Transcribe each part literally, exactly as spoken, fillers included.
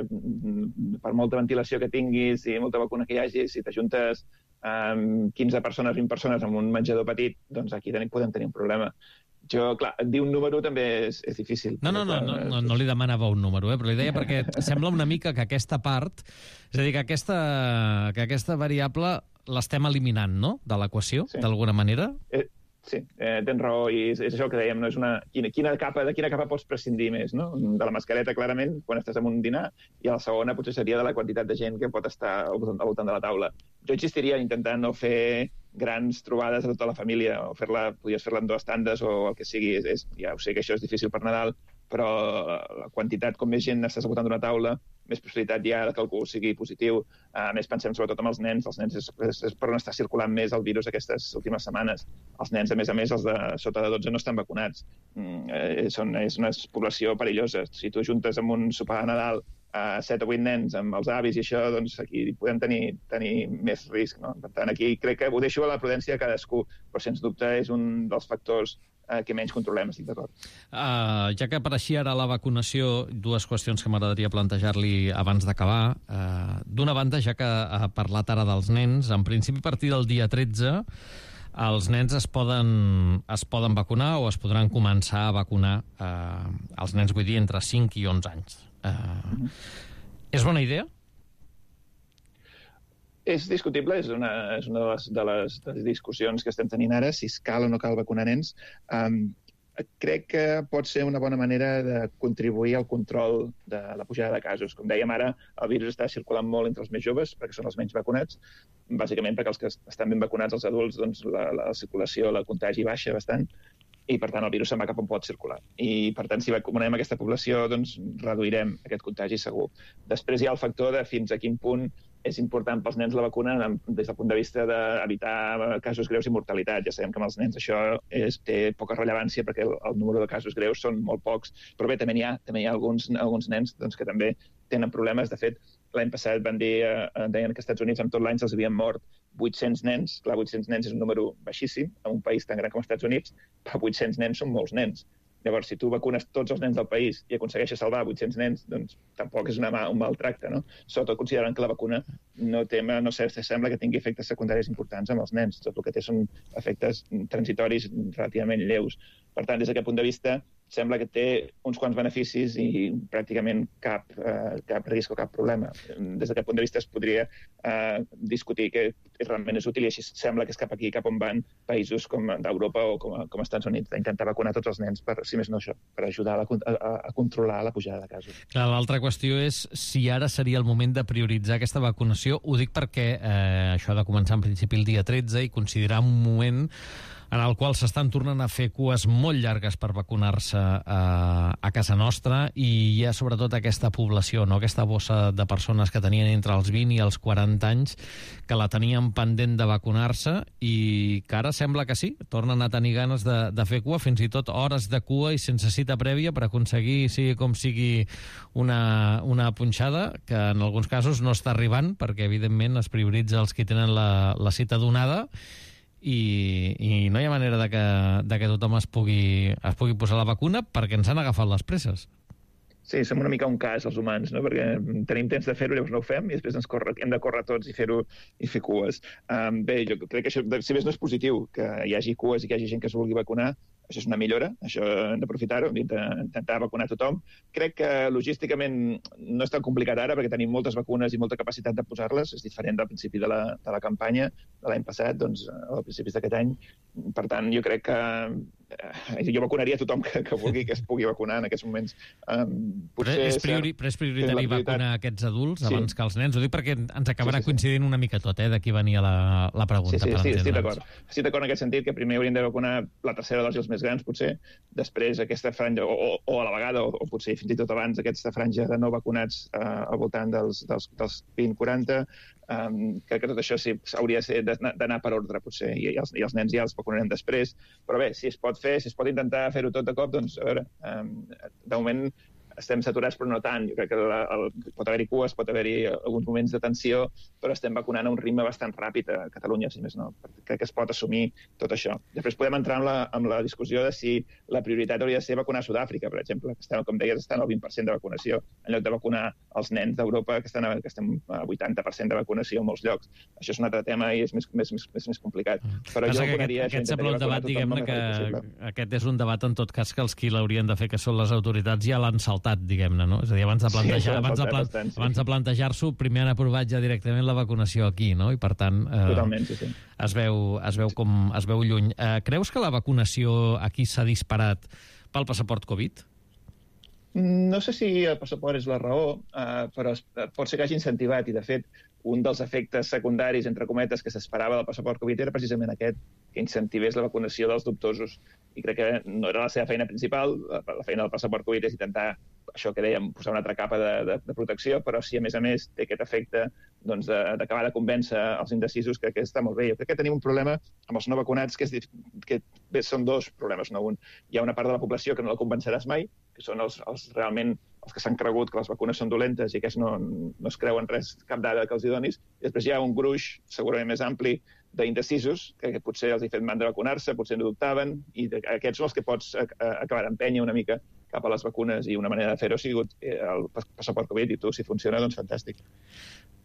per molta ventilació que tinguis i molta vacuna que hi hagi, si t'ajuntes amb quinze persones, vint persones en un menjador petit, doncs aquí tenim, podem tenir un problema. Jo, clar, dir un número també és, és difícil. No, no, no, no, no, no li demanava un número, eh? Però li deia perquè sembla una mica que aquesta part, és a dir, que aquesta, que aquesta variable l'estem eliminant, no?, de l'equació, sí, d'alguna manera. Eh, sí, eh, tens raó, i és, és això que dèiem, no? És una, quina, quina capa, de quina capa pots prescindir més, no? De la mascareta, clarament, quan estàs en un dinar, i a la segona potser seria de la quantitat de gent que pot estar al voltant, al voltant de la taula. Jo insistiria a intentar no fer grans trobades a tota la família, o fer-la, podries fer-la en dues tandes o el que sigui. És, és, ja ho sé que això és difícil per Nadal, però la quantitat, com més gent estàs al voltant d'una taula, més possibilitat hi ha que algú sigui positiu. A més, pensem sobretot en els nens. Els nens és, és, és per on està circulant més el virus aquestes últimes setmanes. Els nens, a més a més, els de sota de dotze no estan vacunats. Mm, eh, són, és una població perillosa. Si tu juntes amb un sopar de Nadal a set o vuit nens amb els avis i això, doncs aquí podem tenir, tenir més risc, no? Per tant, aquí crec que ho deixo a la prudència de cadascú, però sens dubte és un dels factors eh, que menys controlem, estic d'acord. Uh, ja que apareixia ara la vacunació, dues qüestions que m'agradaria plantejar-li abans d'acabar. Uh, D'una banda, ja que ha parlat ara dels nens, en principi a partir del dia tretze els nens es poden, es poden vacunar o es podran començar a vacunar, uh, els nens, vull dir, entre cinc i onze anys. Uh, mm-hmm. És bona idea? És discutible, és una, és una de, les, de, les, de les discussions que estem tenint ara, si cal o no cal vacunar nens. Um, crec que pot ser una bona manera de contribuir al control de la pujada de casos. Com dèiem ara, el virus està circulant molt entre els més joves, perquè són els menys vacunats, bàsicament perquè els que estan ben vacunats, els adults, doncs la, la circulació, la contagi baixa bastant, i per tant el virus se'n va cap on pot circular. I per tant, si vacunem aquesta població, doncs reduirem aquest contagi segur. Després hi ha el factor de fins a quin punt és important pels nens la vacuna des del punt de vista d'evitar casos greus i mortalitat. Ja sabem que amb els nens això és, té poca rellevància perquè el, el número de casos greus són molt pocs, però bé, també n'hi ha, també hi ha alguns, alguns nens doncs, que també tenen problemes. De fet, l'any passat van dir, eh, deien que als Estats Units en tot l'any se'ls havien mort vuit-cents nens. Clar, vuit-cents nens és un número baixíssim en un país tan gran com els Estats Units, però vuit-cents nens són molts nens. Llavors, si tu vacunes tots els nens del país i aconsegueixes salvar vuit-cents nens, doncs tampoc és una mà, un mal tracte, no? Sobretot considerant que la vacuna no, té, no sé, sembla que tingui efectes secundaris importants amb els nens. Tot el que té són efectes transitoris relativament lleus. Per tant, des d'aquest punt de vista, sembla que té uns quants beneficis i pràcticament cap, eh, cap risc o cap problema. Des d'aquest punt de vista es podria eh, discutir que realment és útil i així sembla que és cap aquí, cap on van països com d'Europa o com, com als Estats Units, d'intentar vacunar tots els nens, per, si més no això, per ajudar a, la, a, a controlar la pujada de casos. Clar, l'altra qüestió és si ara seria el moment de prioritzar aquesta vacunació. Ho dic perquè eh, això ha de començar en principi el dia tretze i considerar un moment en el qual s'estan tornant a fer cues molt llargues per vacunar-se a, a casa nostra, i hi ha sobretot aquesta població, no? Aquesta bossa de persones que tenien entre els vint i els quaranta anys que la tenien pendent de vacunar-se i que ara sembla que sí, tornen a tenir ganes de, de fer cua, fins i tot hores de cua i sense cita prèvia per aconseguir, sigui com sigui, una, una punxada que en alguns casos no està arribant perquè evidentment es prioritza els que tenen la, la cita donada. I, i no hi ha manera de que, de que tothom es pugui, es pugui posar la vacuna perquè ens han agafat les presses. Sí, som una mica un cas, els humans, no? Perquè tenim temps de fer-ho, llavors no ho fem, i després ens corre, hem de córrer tots i fer-ho i fer cues. Um, bé, jo crec que això, si més no és positiu, que hi hagi cues i que hi hagi gent que es vulgui vacunar, això és una millora, això hem d'aprofitar-ho, d'intentar vacunar tothom. Crec que logísticament no és tan complicat ara perquè tenim moltes vacunes i molta capacitat de posar-les, és diferent del principi de la, de la campanya de l'any passat, doncs, a principis d'aquest any. Per tant, jo crec que eh, jo vacunaria tothom que, que vulgui que es pugui vacunar en aquests moments. Um, però, és priori, però és prioritari vacunar aquests adults abans sí. que els nens? Ho dic perquè ens acabarà sí, sí, sí. coincidint una mica tot, eh, d'aquí venia la, la pregunta. Sí, sí, per sí, estic d'acord. Estic d'acord en aquest sentit que primer hauríem de vacunar la tercera dosi els més grans, potser, després aquesta franja, o, o, o a la vegada, o, o potser fins i tot abans, aquesta franja de no vacunats eh, al voltant dels, dels, dels vint quaranta, um, crec que tot això sí, hauria d'anar per ordre, potser, i, i, els, i els nens ja els vacunarem després, però bé, si es pot fer, si es pot intentar fer-ho tot de cop, doncs, a veure, um, de moment estem saturats però no tant. Jo crec que la, el, pot haver-hi cues, pot haver-hi alguns moments de tensió, però estem vacunant a un ritme bastant ràpid a Catalunya, si més no. Crec que es pot assumir tot això. Després podem entrar amb la, amb la discussió de si la prioritat hauria de ser vacunar a Sud-àfrica, per exemple, que estan, com deies, estan al vint per cent de vacunació, en lloc de vacunar els nens d'Europa, que, estan a, que estem a vuitanta per cent de vacunació en molts llocs. Això és un altre tema i és més, més, més, més, més complicat. Però Passa jo vacunaria... Aquest, aquest sembla un debat, diguem-ne, que aquest és un debat en tot cas que els qui l'haurien de fer, que són les autoritats, ja l'han saltat, diguem-ne, no? És a dir, abans de plantejar, sí, abans de, plan, bastant, sí. abans de plantejar-s'ho, primer han aprovat ja directament la vacunació aquí, no? I per tant, eh, Totalment, sí, sí. Es, veu, es veu com es veu lluny. Eh, creus que la vacunació aquí s'ha disparat pel passaport Covid? No sé si el passaport és la raó, eh, però pot ser que hagi incentivat, i de fet, un dels efectes secundaris, entre cometes, que s'esperava del passaport Covid era precisament aquest, que incentivés la vacunació dels dubtosos. I crec que no era la seva feina principal, la feina del passaport Covid és intentar, això que dèiem, posar una altra capa de, de, de protecció, però si a més a més té aquest efecte doncs, d'acabar de, de convèncer els indecisos, que, que està molt bé. Jo crec que tenim un problema amb els no vacunats, que, és, que bé, són dos problemes, no un. Hi ha una part de la població que no la convenceràs mai, que són els, els realment els que s'han cregut que les vacunes són dolentes i que no, no es creuen res, cap dada que els hi donis. I després hi ha un gruix, segurament més ampli, d'indecisos, que, que potser els hi fet mandra vacunar-se, potser no dubtaven, i de, aquests són els que pots a, a, acabar d'empènyer una mica cap a les vacunes, i una manera de fer-ho ha sigut el passaport Covid, i tu, si funciona, doncs fantàstic.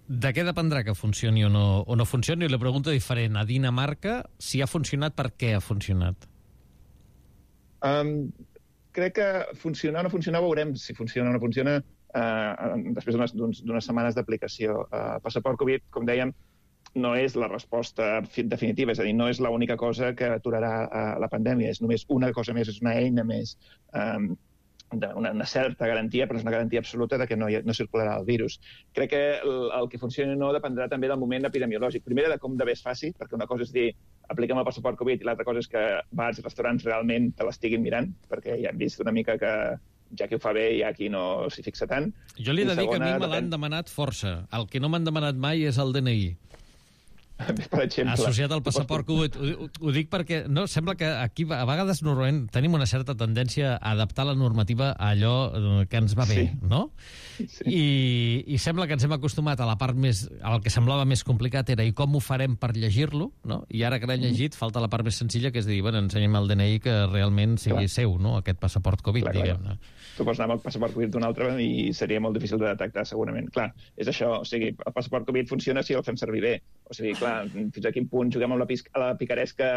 De què dependrà que funcioni o no, o no funcioni? I la pregunta diferent. A Dinamarca, si ha funcionat, per què ha funcionat? Um, crec que funcionar o no funcionar veurem si funciona o no funciona uh, després d'unes setmanes d'aplicació. El uh, passaport Covid, com dèiem, no és la resposta definitiva, és a dir, no és l'única cosa que aturarà uh, la pandèmia, és només una cosa més, és una eina més, um, una, una certa garantia, però és una garantia absoluta de que no, hi, no circularà el virus. Crec que el, el que funcioni o no dependrà també del moment epidemiològic. Primer, de com de bé es faci, perquè una cosa és dir apliquem el passaport Covid i l'altra cosa és que bars i restaurants realment te l'estiguin mirant, perquè ja hem vist una mica que ja qui ho fa bé hi ha qui no s'hi fixa tant. Jo li he de dir que a mi me l'han demanat força. El que no m'han demanat mai és el D N I. Per exemple. Associat al passaport Covid. Ho, ho dic perquè no, sembla que aquí a vegades normalment tenim una certa tendència a adaptar la normativa a allò que ens va bé, sí. no? Sí. I, I sembla que ens hem acostumat a la part més... El que semblava més complicat era i com ho farem per llegir-lo, no? I ara que l'hem llegit, falta la part més senzilla, que és dir, bueno, ensenyem el D N I que realment sigui clar. seu, no? Aquest passaport Covid, diguem-ne. Tu pots anar amb el passaport Covid d'un altre i seria molt difícil de detectar, segurament. Clar, és això, o sigui, el passaport Covid funciona si el fem servir bé. O sigui, clar, fins a quin punt juguem amb la, a la picaresca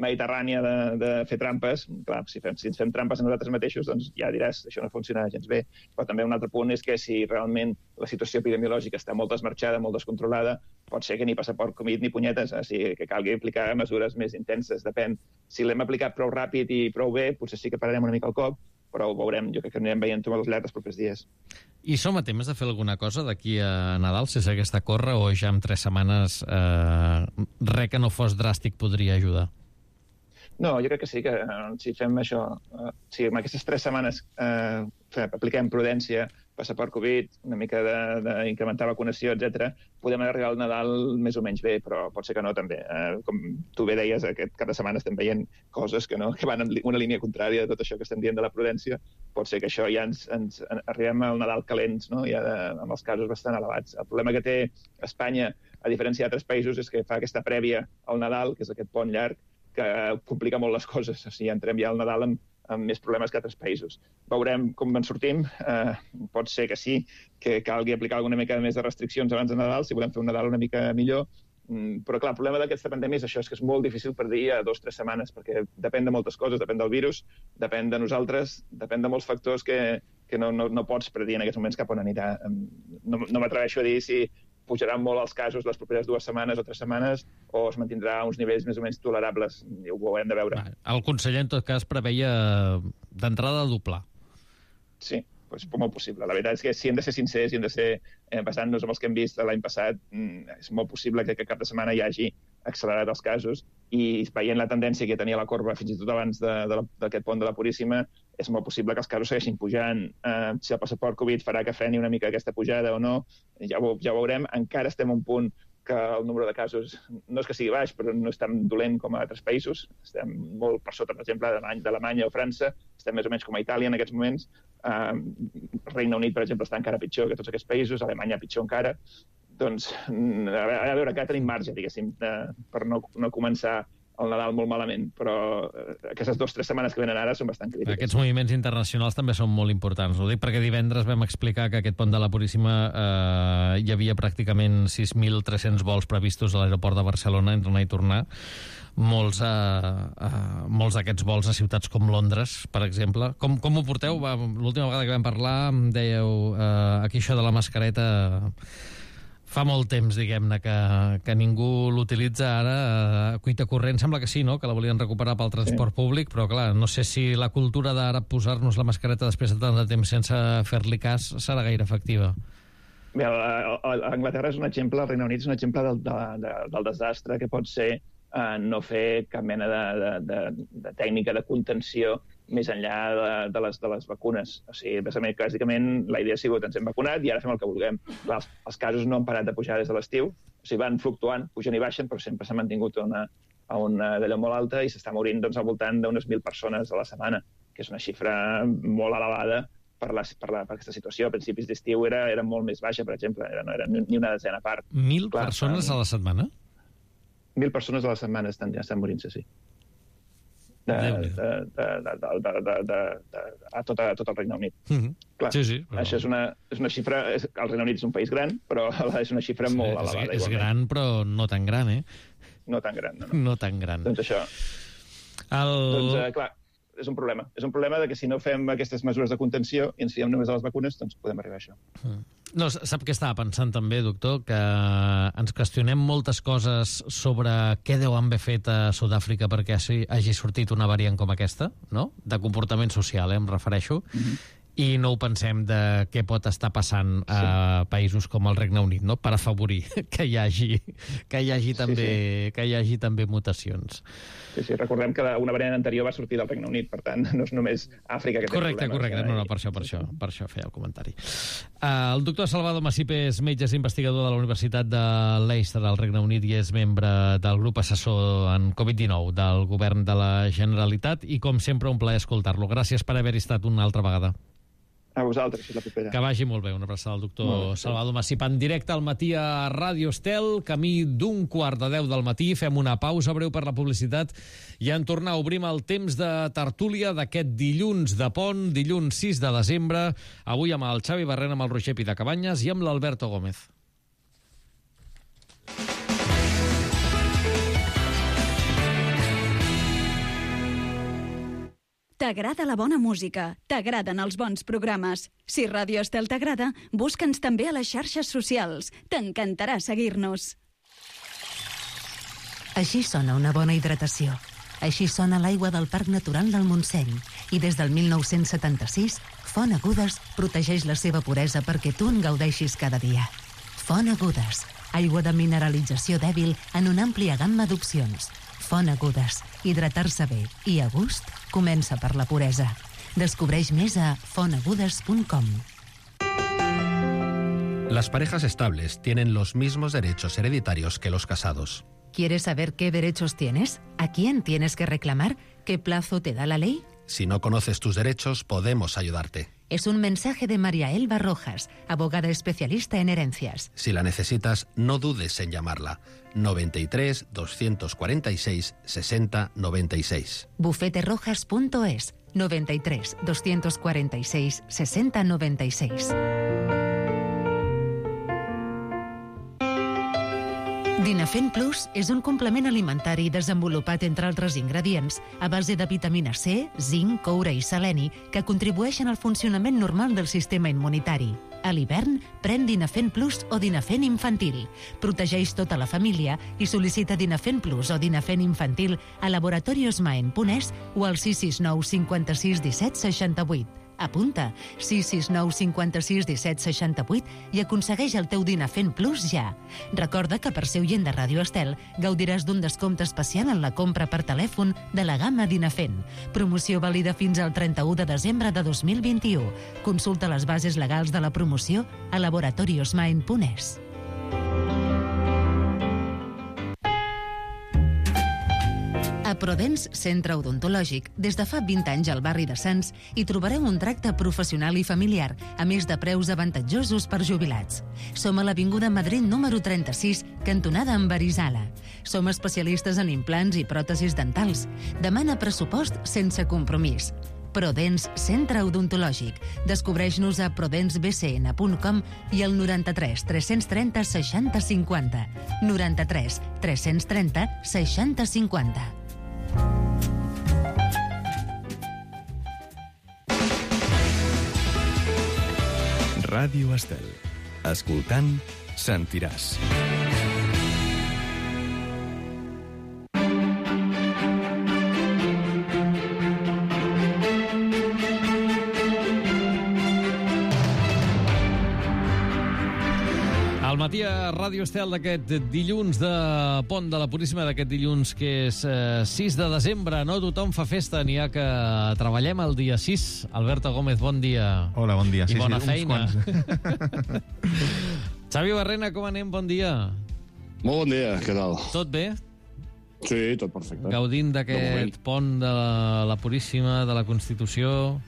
mediterrània de, de fer trampes. Clar, si, fem, si ens fem trampes a nosaltres mateixos, doncs ja diràs, això no funciona gens bé. Però també un altre punt és que si realment la situació epidemiològica està molt desmarxada, molt descontrolada, pot ser que ni passaport Covid ni punyetes, o sigui, que calgui aplicar mesures més intenses. Depèn. Si l'hem aplicat prou ràpid i prou bé, potser sí que pararem una mica el cop, però ho veurem. Jo crec que anirem veient tot llarg els propers dies. I som a temps de fer alguna cosa d'aquí a Nadal, si s'hagués de córrer, o ja en tres setmanes eh, res que no fos dràstic podria ajudar? No, jo crec que sí, que si fem això, eh, si en aquestes tres setmanes eh, apliquem prudència, passaport Covid, una mica d'incrementar vacunació, etcètera, podem arribar al Nadal més o menys bé, però pot ser que no també. Eh, com tu bé deies, aquest cap de setmana estem veient coses que, no, que van en una línia contrària de tot això que estem dient de la prudència. Pot ser que això ja ens, ens arribem al Nadal calents, no? Ja de, amb els casos bastant elevats. El problema que té Espanya, a diferència d'altres països, és que fa aquesta prèvia al Nadal, que és aquest pont llarg, que complica molt les coses. O sigui, entrem ja al Nadal amb amb més problemes que altres països. Veurem com en sortim. Eh, pot ser que sí, que calgui aplicar alguna mica més de restriccions abans de Nadal, si volem fer un Nadal una mica millor. Mm, però, clar, el problema d'aquesta pandèmia és això, és que és molt difícil predir a dos o tres setmanes, perquè depèn de moltes coses, depèn del virus, depèn de nosaltres, depèn de molts factors que, que no, no, no pots predir en aquests moments cap on anirà. No, no m'atreveixo a dir si pujaran molt els casos les properes dues setmanes o tres setmanes o es mantindrà a uns nivells més o menys tolerables. Ho haurem de veure. El conseller, en tot cas, preveia d'entrada doblar. Sí, doncs molt possible. La veritat és que si hem de ser sincers i hem de ser, eh, basant-nos en els que hem vist l'any passat, és molt possible que aquest cap de setmana hi hagi accelerat els casos i veient la tendència que tenia la corba fins i tot abans d'aquest pont de la Puríssima, és molt possible que els casos segueixin pujant. Eh, si el passaport Covid farà que freni una mica aquesta pujada o no, ja ho, ja ho veurem. Encara estem a un punt que el número de casos no és que sigui baix, però no és tan dolent com a altres països. Estem molt per sota, per exemple, d'Alemanya o França, estem més o menys com a Itàlia en aquests moments. Uh, Regne Unit, per exemple, està encara pitjor que tots aquests països, Alemanya pitjor encara. Doncs, a veure, acá tenim marge, diguéssim, per no, no començar el Nadal molt malament, però aquestes dues o tres setmanes que venen ara són bastant crítiques. Aquests moviments internacionals també són molt importants. Ho dic perquè divendres vam explicar que aquest pont de la Puríssima eh, hi havia pràcticament sis mil tres-cents vols previstos a l'aeroport de Barcelona entre anar i tornar. Molts, eh, eh, molts d'aquests vols a ciutats com Londres, per exemple. Com, com ho porteu? L'última vegada que vam parlar em dèieu eh, aquí això de la mascareta... Fa molt temps, diguem-ne, que, que ningú l'utilitza ara. A cuita corrent sembla que sí, no?, que la volien recuperar pel transport sí. públic, però, clar, no sé si la cultura d'ara posar-nos la mascareta després de tant de temps sense fer-li cas serà gaire efectiva. Bé, a, a, a Anglaterra és un exemple, el Regne Unit és un exemple del, de, de, del desastre que pot ser eh, no fer cap mena de, de, de, de tècnica de contenció més enllà de, de, les, de les vacunes. O sigui, bàsicament, la idea ha sigut ens hem vacunat i ara fem el que vulguem. Clar, els, els casos no han parat de pujar des de l'estiu, o sigui, van fluctuant, pugen i baixen, però sempre s'ha mantingut una, a una d'allò molt alta i s'està morint doncs, al voltant d'unes mil persones a la setmana, que és una xifra molt elevada per, la, per, la, per aquesta situació. A principis d'estiu era, era molt més baixa, per exemple, era, no era ni una desena part. Mil Clar, persones a la setmana? Mil persones a la setmana estan, ja estan morint-se, sí. De, de, de, de, de, de, de, de, de, a, tot, a tot el Regne Unit. Mm-hmm. Clar, sí, sí, però... això és una, és una xifra... És, el Regne Unit és un país gran, però és una xifra sí, molt elevada. És, és gran, però no tan gran, eh? No tan gran, no. No, no tan gran. Doncs això. El... Doncs, eh, clar, és un problema. És un problema de que si no fem aquestes mesures de contenció i ens fiem només a les vacunes, doncs podem arribar a això. Mm. No, sap què estava pensant també, doctor? Que ens qüestionem moltes coses sobre què deu haver fet a Sud-àfrica perquè hagi sortit una variant com aquesta, no? De comportament social, eh, em refereixo. Mm-hmm. I no ho pensem de què pot estar passant a sí. països com el Regne Unit, no? Per afavorir que hi hagi, que hi hagi, també, sí, sí. Que hi hagi també mutacions. Sí, sí, recordem que una variant anterior va sortir del Regne Unit, per tant, no és només Àfrica que té correcte, problemes. Correcte, correcte, no, no, per això, per això, per això feia el comentari. Uh, el doctor Salvador Masip és metge, és investigador de la Universitat de Leicester, al Regne Unit, i és membre del grup assessor en covid dinou del govern de la Generalitat, i com sempre un plaer escoltar-lo. Gràcies per haver-hi estat una altra vegada. A vosaltres, si la propera. Que vagi molt bé. Una abraçada al doctor molt Salvador Masip. En directe al matí a Ràdio Estel, camí d'un quart de deu del matí. Fem una pausa breu per la publicitat i en tornar obrim el temps de tertúlia d'aquest dilluns de pont, dilluns sis de desembre, avui amb el Xavi Barrena, amb el Roger Pitacabanyes i amb l'Alberto Gómez. T'agrada la bona música, t'agraden els bons programes. Si Ràdio Estel t'agrada, busca'ns també a les xarxes socials. T'encantarà seguir-nos. Així sona una bona hidratació. Així sona l'aigua del Parc Natural del Montseny. I des del mil nou-cents setanta-sis, Font Agudes protegeix la seva puresa perquè tu en gaudeixis cada dia. Font Agudes, aigua de mineralització dèbil en una àmplia gamma d'opcions. Font Agudes, hidratar-se bé i a gust comença per la puresa. Descobreix més a font agudes punt com. Las parejas estables tienen los mismos derechos hereditarios que los casados. ¿Quieres saber qué derechos tienes? ¿A quién tienes que reclamar? ¿Qué plazo te da la ley? Si no conoces tus derechos, podemos ayudarte. Es un mensaje de María Elba Rojas, abogada especialista en herencias. Si la necesitas, no dudes en llamarla. noventa y tres, doscientos cuarenta y seis, sesenta, noventa y seis. bufete rojas punto es, noventa y tres, doscientos cuarenta y seis, sesenta, noventa y seis. Dinafen Plus és un complement alimentari desenvolupat, entre altres ingredients, a base de vitamina C, zinc, coure i seleni, que contribueixen al funcionament normal del sistema immunitari. A l'hivern, pren Dinafen Plus o Dinafen Infantil. Protegeix tota la família i sol·licita Dinafen Plus o Dinafen Infantil a Laboratorios Maen punt es o al sis sis nou cinquanta-sis disset seixanta-vuit. Apunta sis sis nou cinquanta-sis disset seixanta-vuit i aconsegueix el teu Dinafen Plus ja. Recorda que per ser oient de Ràdio Estel gaudiràs d'un descompte especial en la compra per telèfon de la gamma Dinafen. Promoció vàlida fins al trenta-u de desembre de dos mil vint-i-u. Consulta les bases legals de la promoció a laboratorios maen punt es. Prodens Centre Odontològic. Des de fa vint anys al barri de Sants hi trobareu un tracte professional i familiar, a més de preus avantatjosos per jubilats. Som a l'Avinguda Madrid número trenta-sis, cantonada amb Arizala. Som especialistes en implants i pròtesis dentals. Demana pressupost sense compromís. Prodens Centre Odontològic. Descobreix-nos a prodens b c n punt com i al noranta-tres tres-cents trenta seixanta cinquanta. noranta-tres tres-cents trenta seixanta cinquanta. Ràdio Estel. Escoltant, sentiràs. Al matí a Ràdio Estel d'aquest dilluns de Pont de la Puríssima, d'aquest dilluns que és eh, sis de desembre. No tothom fa festa, n'hi ha que treballem el dia sis. Alberto Gómez, bon dia. Hola, bon dia. I sí, bona sí, feina. Xavi Barrena, com anem? Bon dia. Molt bon dia, què tal? Tot bé? Sí, tot perfecte. Gaudint d'aquest pont de la, la Puríssima, de la Constitució...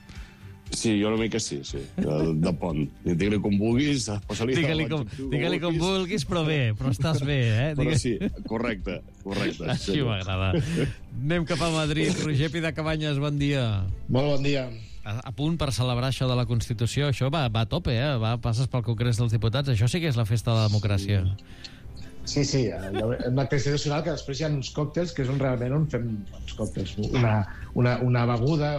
Sí, jo una mica sí, sí, de, de pont. Digue-li com vulguis, digue-li com, digue com vulguis, però bé, però estàs bé, eh? Però sí, correcte, correcte. Així m'agrada. Anem cap a Madrid. Roger Pidacabanyes, bon dia. Molt bon dia. A, a punt per celebrar això de la Constitució. Això va, va a tope, eh? Va, passes pel Congrés dels Diputats. Això sí que és la festa de la democràcia. Sí, sí, en l'acte institucional, que després hi ha uns còctels que és on realment on fem uns còctels, una, una, una beguda,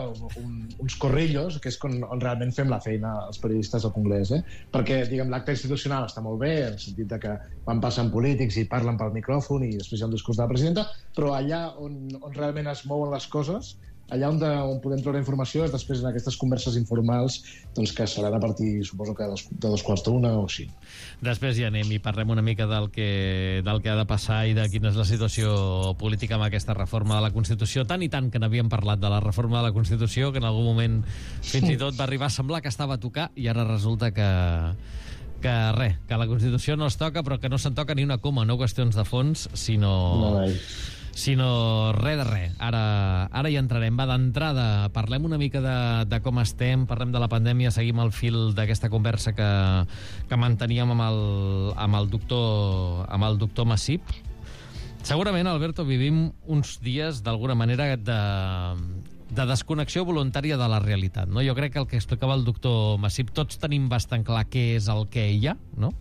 un, uns corrillos, que és on, on realment fem la feina els periodistes del Congrés, eh? Perquè, diguem, l'acte institucional està molt bé, en el sentit de que van passant polítics i parlen pel micròfon i després hi ha un discurs de la presidenta, però allà on, on realment es mouen les coses, allà on, de, on podem treure informació és després en aquestes converses informals, doncs, que seran a partir, suposo que de dos, de dos quarts d'una o així. Després ja anem i parlem una mica del que, del que ha de passar i de quina és la situació política amb aquesta reforma de la Constitució. Tant i tant que n'havíem parlat de la reforma de la Constitució, que en algun moment fins i tot va arribar a semblar que estava a tocar, i ara resulta que... que res, que la Constitució no es toca, però que no se'n toca ni una coma, no qüestions de fons, sinó... No, sinó res de res. Ara, ara hi entrarem. Va, d'entrada, parlem una mica de, de com estem, parlem de la pandèmia, seguim el fil d'aquesta conversa que, que manteníem amb el, amb el doctor, amb el doctor Massip. Segurament, Alberto, vivim uns dies, d'alguna manera, de, de desconnexió voluntària de la realitat, no? Jo crec que el que explicava el doctor Massip, tots tenim bastant clar què és el que hi ha, no?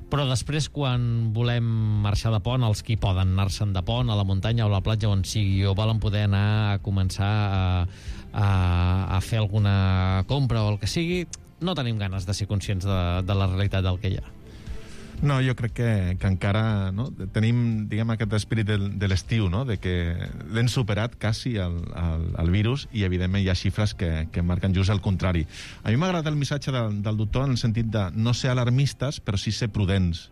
Però després, quan volem marxar de pont, els qui poden anar-se'n de pont, a la muntanya o a la platja, on sigui, o volen poder anar a començar a, a, a fer alguna compra o el que sigui, no tenim ganes de ser conscients de, de la realitat del que hi ha. No, jo crec que, que encara no, tenim, diguem, aquest espírit de, de l'estiu, no? De que l'hem superat quasi el, el, el virus i, evidentment, hi ha xifres que, que marquen just el contrari. A mi m'agrada el missatge del, del doctor en el sentit de no ser alarmistes, però sí ser prudents.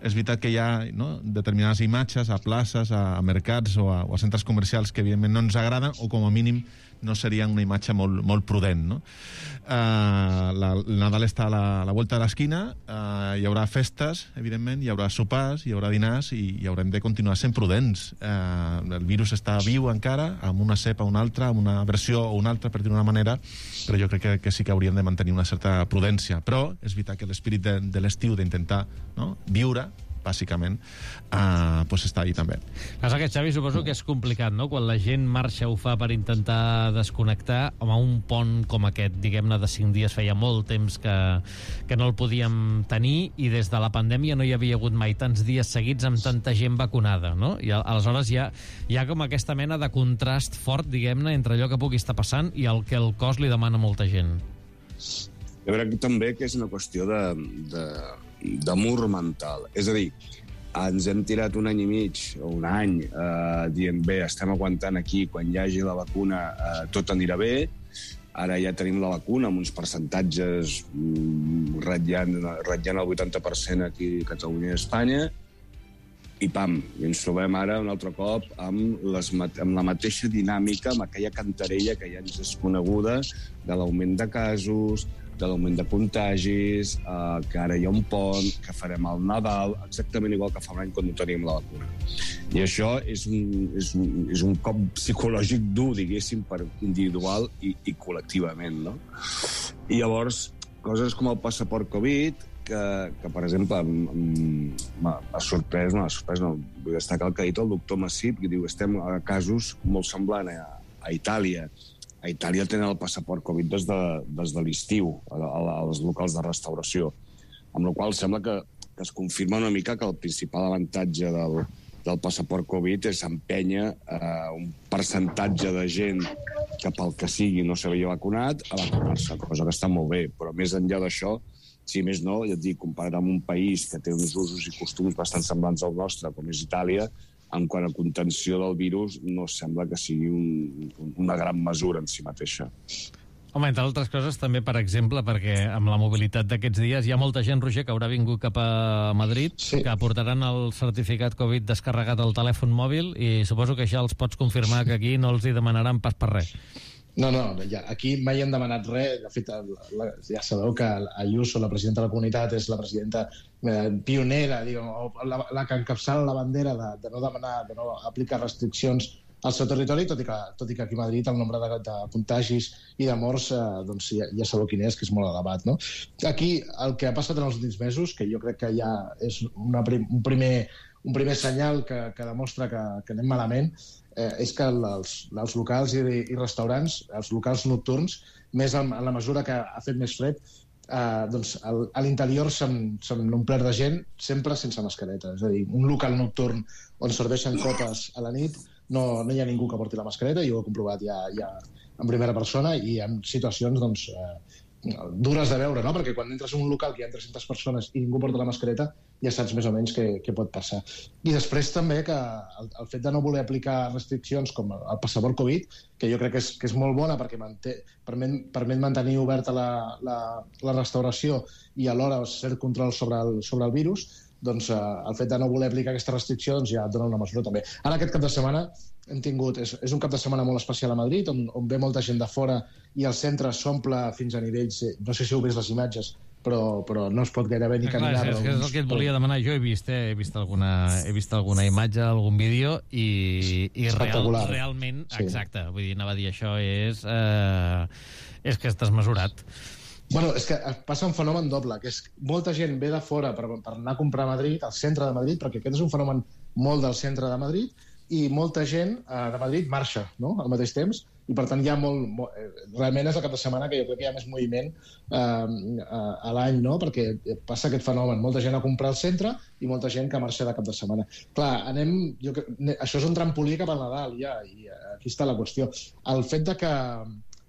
És veritat que hi ha, no, determinades imatges a places, a, a mercats o a, o a centres comercials que, evidentment, no ens agraden o, com a mínim, no seria una imatge molt, molt prudent, no? Uh, la, el Nadal està a la, a la volta de l'esquina, uh, hi haurà festes, evidentment, hi haurà sopars, hi haurà dinars i, i haurem de continuar sent prudents. Uh, el virus està viu encara, amb una cepa o una altra, amb una versió o una altra, per dir-ho d'una manera, però jo crec que, que sí que hauríem de mantenir una certa prudència. Però és veritat que l'espírit de, de l'estiu, d'intentar, no, viure, bàsicament, uh, pues està ahí també. Passa que, Xavi, suposo que és complicat, no? Quan la gent marxa ho fa per intentar desconnectar, home, un pont com aquest, diguem-ne, de cinc dies, feia molt temps que, que no el podíem tenir, i des de la pandèmia no hi havia hagut mai tants dies seguits amb tanta gent vacunada, no? I aleshores hi ha, hi ha com aquesta mena de contrast fort, diguem-ne, entre allò que pugui estar passant i el que el cos li demana a molta gent. Jo crec també que és una qüestió de... de... d'amor mental. És a dir, ens hem tirat un any i mig o un any eh, dient, bé, estem aguantant aquí, quan hi hagi la vacuna eh, tot anirà bé. Ara ja tenim la vacuna amb uns percentatges mm, ratllant, ratllant el vuitanta per cent aquí a Catalunya i a Espanya, i pam, i ens trobem ara un altre cop amb, les, amb la mateixa dinàmica, amb aquella cantarella que ja ens és coneguda de l'augment de casos, de l'augment de contagis, eh, que ara hi ha un pont, que farem el Nadal, exactament igual que fa un any quan no teníem la vacuna. I això és un, és un, és un cop psicològic dur, diguéssim, per individual i, i col·lectivament, no? I llavors, coses com el passaport Covid, que, que per exemple, m'ha sorprès, no, m'ha sorprès, no, vull destacar el que ha dit el doctor Massip, que diu que estem a casos molt semblants a, a Itàlia. A Itàlia tenen el passaport Covid des de, des de l'estiu, als locals de restauració, amb la qual sembla que, que es confirma una mica que el principal avantatge del, del passaport Covid és empènyer eh, un percentatge de gent que pel que sigui no s'havia vacunat a vacunar-se, cosa que està molt bé, però més enllà d'això, si més no, ja et dic, comparat amb un país que té uns usos i costums bastant semblants al nostre, com és Itàlia, en quant a contenció del virus, no sembla que sigui un, una gran mesura en si mateixa. Home, entre altres coses, també, per exemple, perquè amb la mobilitat d'aquests dies hi ha molta gent, Roger, que haurà vingut cap a Madrid, sí. que portaran el certificat Covid descarregat al telèfon mòbil, i suposo que ja els pots confirmar que aquí no els hi demanaran pas per res. No, no, ja, aquí mai han demanat res. De fet, la, ja sabeu que Ayuso, la presidenta de la comunitat, és la presidenta eh, pionera, diguem, la, la que encapçala la bandera de, de no demanar, de no aplicar restriccions al seu territori, tot i que, tot i que aquí a Madrid el nombre de, de contagis i de morts eh, doncs ja, ja sabeu quin és, que és molt elevat, no? Aquí el que ha passat en els últims mesos, que jo crec que ja és una, un, primer, un primer senyal que, que demostra que, que anem malament, eh, és que els, els locals i, i restaurants, els locals nocturns, més en, en la mesura que ha fet més fred, eh, doncs el, a l'interior s'han omplert de gent sempre sense mascareta. És a dir, un local nocturn on serveixen copes a la nit no, no hi ha ningú que porti la mascareta, jo ho he comprovat ja, ja en primera persona i en situacions doncs, eh, dures de veure, no? Perquè quan entres en un local que hi ha tres-centes persones i ningú porta la mascareta, ja saps més o menys què, què pot passar. I després també que el, el fet de no voler aplicar restriccions com el, el passaport Covid, que jo crec que és, que és molt bona perquè manté, permet, permet mantenir oberta la, la, la restauració i alhora cert control sobre el, sobre el virus, doncs eh, el fet de no voler aplicar aquesta restricció doncs, ja dona una mesura també. Ara aquest cap de setmana hem tingut, és, és un cap de setmana molt especial a Madrid, on, on ve molta gent de fora i el centre s'omple fins a nivells, no sé si heu vist les imatges, però, però no es pot gairebé ni caminar. Clar, és, és el que et volia demanar. Jo he vist, eh? he vist alguna, he vist alguna imatge, algun vídeo, i, i real, realment, sí. Exacte, vull dir, anava a dir, això és, eh, és que estàs mesurat. Bueno, és que passa un fenomen doble, que és molta gent ve de fora per, per anar a comprar a Madrid, al centre de Madrid, perquè aquest és un fenomen molt del centre de Madrid, i molta gent eh, de Madrid marxa, no?, al mateix temps, i per tant hi ha molt, molt... Realment és el cap de setmana que jo crec que hi ha més moviment eh, a l'any, no?, perquè passa aquest fenomen, molta gent a comprar al centre i molta gent que marxa de cap de setmana. Clar, anem... Jo, això és un trampolí cap al Nadal, ja, i aquí està la qüestió. El fet de que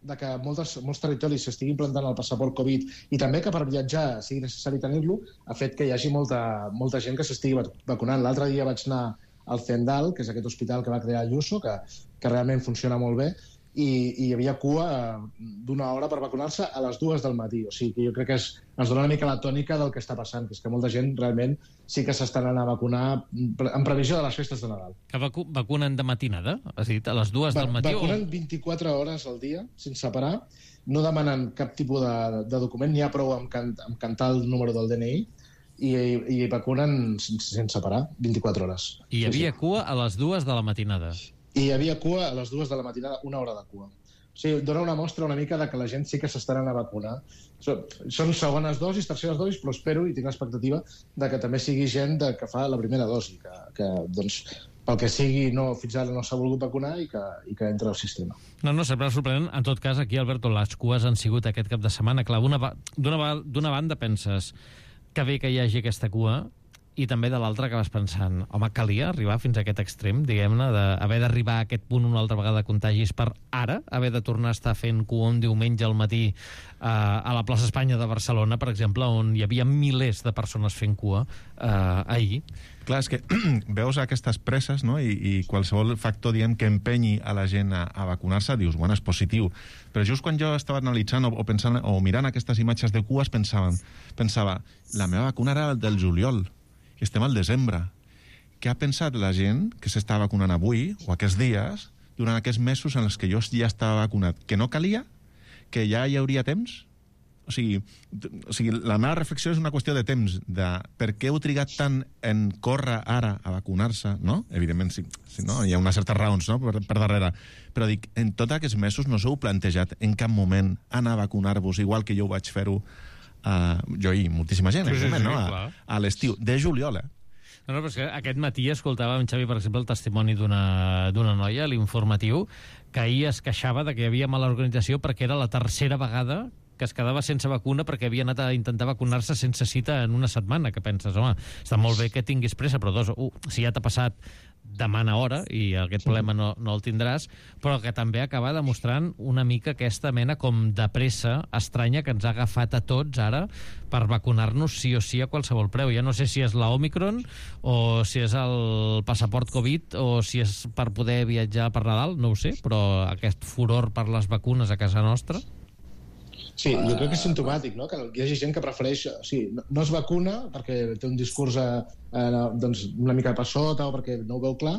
de que moltes, molts territoris s'estigui implantant el passaport Covid i també que per viatjar sigui necessari tenir-lo, ha fet que hi hagi molta, molta gent que s'estigui vacunant. L'altre dia vaig anar al Zendal, que és aquest hospital que va crear Ayuso, que, que realment funciona molt bé, i, i hi havia cua d'una hora per vacunar-se a les dues del matí. O sigui que jo crec que es, ens dona una mica la tònica del que està passant, que és que molta gent realment sí que s'estan anant a vacunar en previsió de les festes de Nadal. Que vacu vacunen de matinada? Has dit, a les dues Va, del matí? Vacunen o... vint-i-quatre hores al dia, sense parar. No demanen cap tipus de, de document, n'hi ha prou amb, can, amb cantar el número del D N I, i, i vacunen sense, sense parar, vint-i-quatre hores. I hi havia sí, sí. cua a les dues de la matinada? I hi havia cua a les dues de la matinada, una hora de cua. O sigui, dona una mostra una mica de que la gent sí que s'estaran a vacunar. Són segones dosis, terceres dosis, però espero i tinc l'expectativa de que també sigui gent de, que fa la primera dosi, que, que doncs, pel que sigui no, fins ara no s'ha volgut vacunar i que, i que entra al sistema. No, no, sempre sorprenent. En tot cas, aquí, Alberto, les cues han sigut aquest cap de setmana. Clar, d'una banda penses que bé que hi hagi aquesta cua, i també de l'altre que vas pensant, home, calia arribar fins a aquest extrem, diguem-ne, d'haver d'arribar a aquest punt una altra vegada de contagis per ara, haver de tornar a estar fent cua un diumenge al matí eh, a la plaça Espanya de Barcelona, per exemple, on hi havia milers de persones fent cua eh, ahir. Clar, és que veus aquestes presses, no?, I, i qualsevol factor, diguem, que empenyi a la gent a, a vacunar-se, dius, bueno, és positiu. Però just quan jo estava analitzant o, o, pensant, o mirant aquestes imatges de cues, pensaven, pensava, la meva vacuna era del juliol, i estem al desembre. Què ha pensat la gent que s'està vacunant avui, o aquests dies, durant aquests mesos en els que jo ja estava vacunat? Que no calia? Que ja hi hauria temps? o sigui, o sigui, la meva reflexió és una qüestió de temps, de per què heu trigat tant en córrer ara a vacunar-se, no? Evidentment, sí, sí, no? Hi ha unes certes raons, no?, per, per darrere. Però dic, en tots aquests mesos no s'heu plantejat en cap moment anar a vacunar-vos, igual que jo ho vaig fer-ho, uh, jo i moltíssima gent, sí, sí, sí, no? A, a l'estiu, de juliol, eh? No, no, però és que aquest matí escoltava en Xavi, per exemple, el testimoni d'una d'una noia, l'informatiu, que ahir es queixava de que hi havia mala organització perquè era la tercera vegada que es quedava sense vacuna perquè havia anat a intentar vacunar-se sense cita en una setmana, que penses, home, està molt bé que tinguis pressa, però dos, uh, si ja t'ha passat, demana hora, i aquest problema no, no el tindràs, però que també acaba demostrant una mica aquesta mena com de pressa estranya que ens ha agafat a tots ara per vacunar-nos sí o sí a qualsevol preu. Ja no sé si és la Omicron o si és el passaport Covid o si és per poder viatjar per Nadal, no ho sé, però aquest furor per les vacunes a casa nostra... Sí, jo crec que és simptomàtic, no?, que hi hagi gent que prefereix... O sigui, no, no es vacuna perquè té un discurs eh, eh, doncs una mica per sota o perquè no ho veu clar,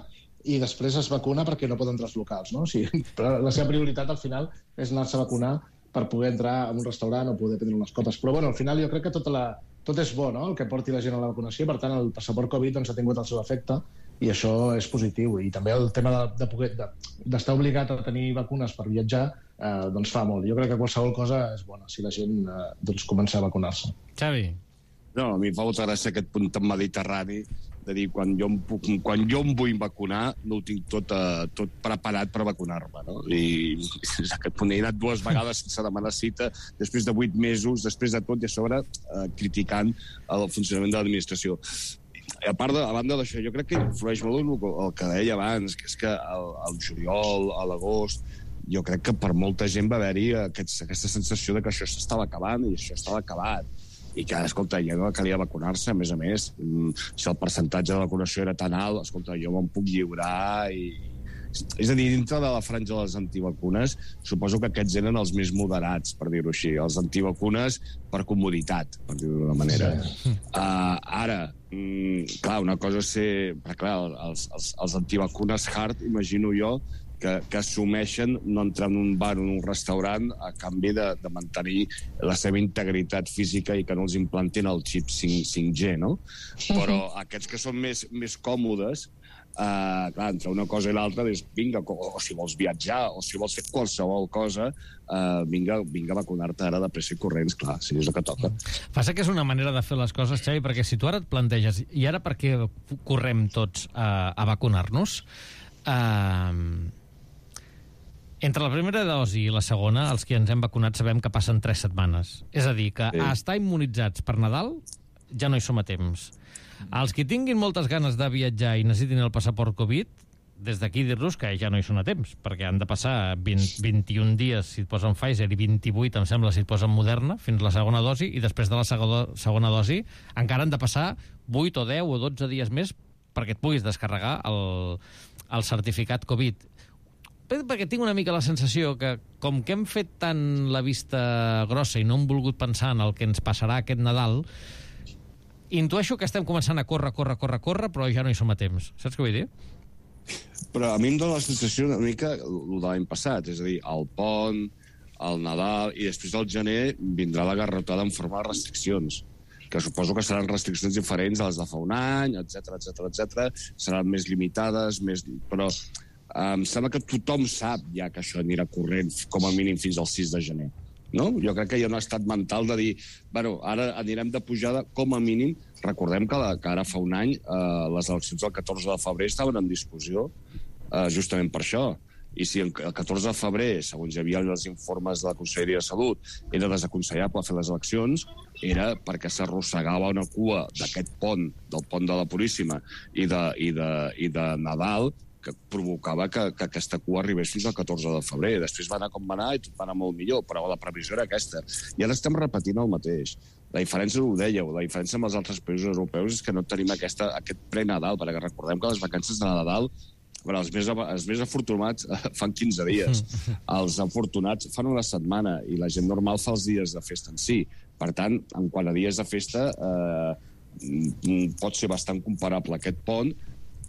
i després es vacuna perquè no pot entrar als locals, no? O sigui, però la seva prioritat al final és anar-se a vacunar per poder entrar a un restaurant o poder prendre unes copes. Però bueno, al final jo crec que tota la, tot és bo, no?, el que porti la gent a la vacunació. Per tant, el passaport Covid doncs, ha tingut el seu efecte i això és positiu. I també el tema de, de poder, de, d'estar obligat a tenir vacunes per viatjar eh, doncs fa molt. Jo crec que qualsevol cosa és bona si la gent eh, doncs comença a vacunar-se. Xavi. No, a mi em fa molta gràcia aquest punt tan mediterrani de dir, quan jo em, puc, quan jo em vull vacunar, no ho tinc tot, uh, tot preparat per vacunar-me, no? I és aquest punt, he anat dues vegades sense demanar cita, després de vuit mesos, després de tot, i a sobre uh, criticant el funcionament de l'administració. A part de, a banda d'això, jo crec que influeix molt el, el que deia abans, que és que el, el juliol, a l'agost, jo crec que per molta gent va haver-hi aquest, aquesta sensació de que això s'estava acabant i això estava acabat. I que, escolta, ja no calia vacunar-se, a més a més, si el percentatge de vacunació era tan alt, escolta, jo me'n puc lliurar i... És a dir, dintre de la franja de les antivacunes, suposo que aquests eren els més moderats, per dir-ho així, els antivacunes per comoditat, per dir-ho d'una manera. Sí. Uh, ara, mm, clar, una cosa és ser... Perquè, clar, els, els, els antivacunes hard, imagino jo, que, que assumeixen no entrar en un bar o en un restaurant a canvi de, de mantenir la seva integritat física i que no els implantin el xip cinc G, no? Però aquests que són més, més còmodes, Uh, clar, entre una cosa i l'altra dius, vinga, o, o si vols viatjar o si vols fer qualsevol cosa, uh, vinga, vinga a vacunar-te ara de pressa i corrents, clar, si és el que toca. Passa que és una manera de fer les coses, Xavi, perquè si tu ara et planteges, i ara per què correm tots a, a vacunar-nos, uh, entre la primera dosi i la segona, els que ens hem vacunat sabem que passen tres setmanes. És a dir, que sí. A estar immunitzats per Nadal ja no hi som a temps. Els que tinguin moltes ganes de viatjar i necessitin el passaport Covid, des d'aquí dir-los que ja no hi són a temps, perquè han de passar vint, vint-i-un dies si et posen Pfizer i vint-i-vuit, em sembla, si et posen Moderna, fins la segona dosi, i després de la segona, segona dosi encara han de passar vuit o deu o dotze dies més perquè et puguis descarregar el, el certificat Covid. Perquè tinc una mica la sensació que, com que hem fet tant la vista grossa i no hem volgut pensar en el que ens passarà aquest Nadal, intueixo que estem començant a córrer, córrer, córrer, córrer, però ja no hi som a temps. Saps què vull dir? Però a mi em dóna la sensació una mica el de l'any passat, és a dir, el pont, el Nadal, i després del gener vindrà la garrotada en forma de restriccions, que suposo que seran restriccions diferents a les de fa un any, etcètera, etcètera, etcètera, seran més limitades, més... però eh, em sembla que tothom sap ja que això anirà corrent com a mínim fins al sis de gener. No? Jo crec que hi ha un estat mental de dir, bueno, ara anirem de pujada com a mínim. Recordem que, la, que ara fa un any eh, les eleccions del catorze de febrer estaven en discussió eh, justament per això. I si el catorze de febrer, segons hi havia els informes de la Conselleria de Salut, era desaconsellable fer les eleccions, era perquè s'arrossegava una cua d'aquest pont, del pont de la Puríssima i de, i de, i de Nadal, que provocava que, que aquesta cua arribés fins al catorze de febrer. Després va anar com va anar i tot va anar molt millor, però la previsió era aquesta. I ara estem repetint el mateix. La diferència, ho dèieu, la diferència amb els altres països europeus és que no tenim aquesta, aquest pre-Nadal, perquè recordem que les vacances de Nadal, bueno, els, més, els més afortunats fan quinze dies, els afortunats fan una setmana i la gent normal fa els dies de festa en si. Per tant, en quant a dies de festa, eh, pot ser bastant comparable aquest pont,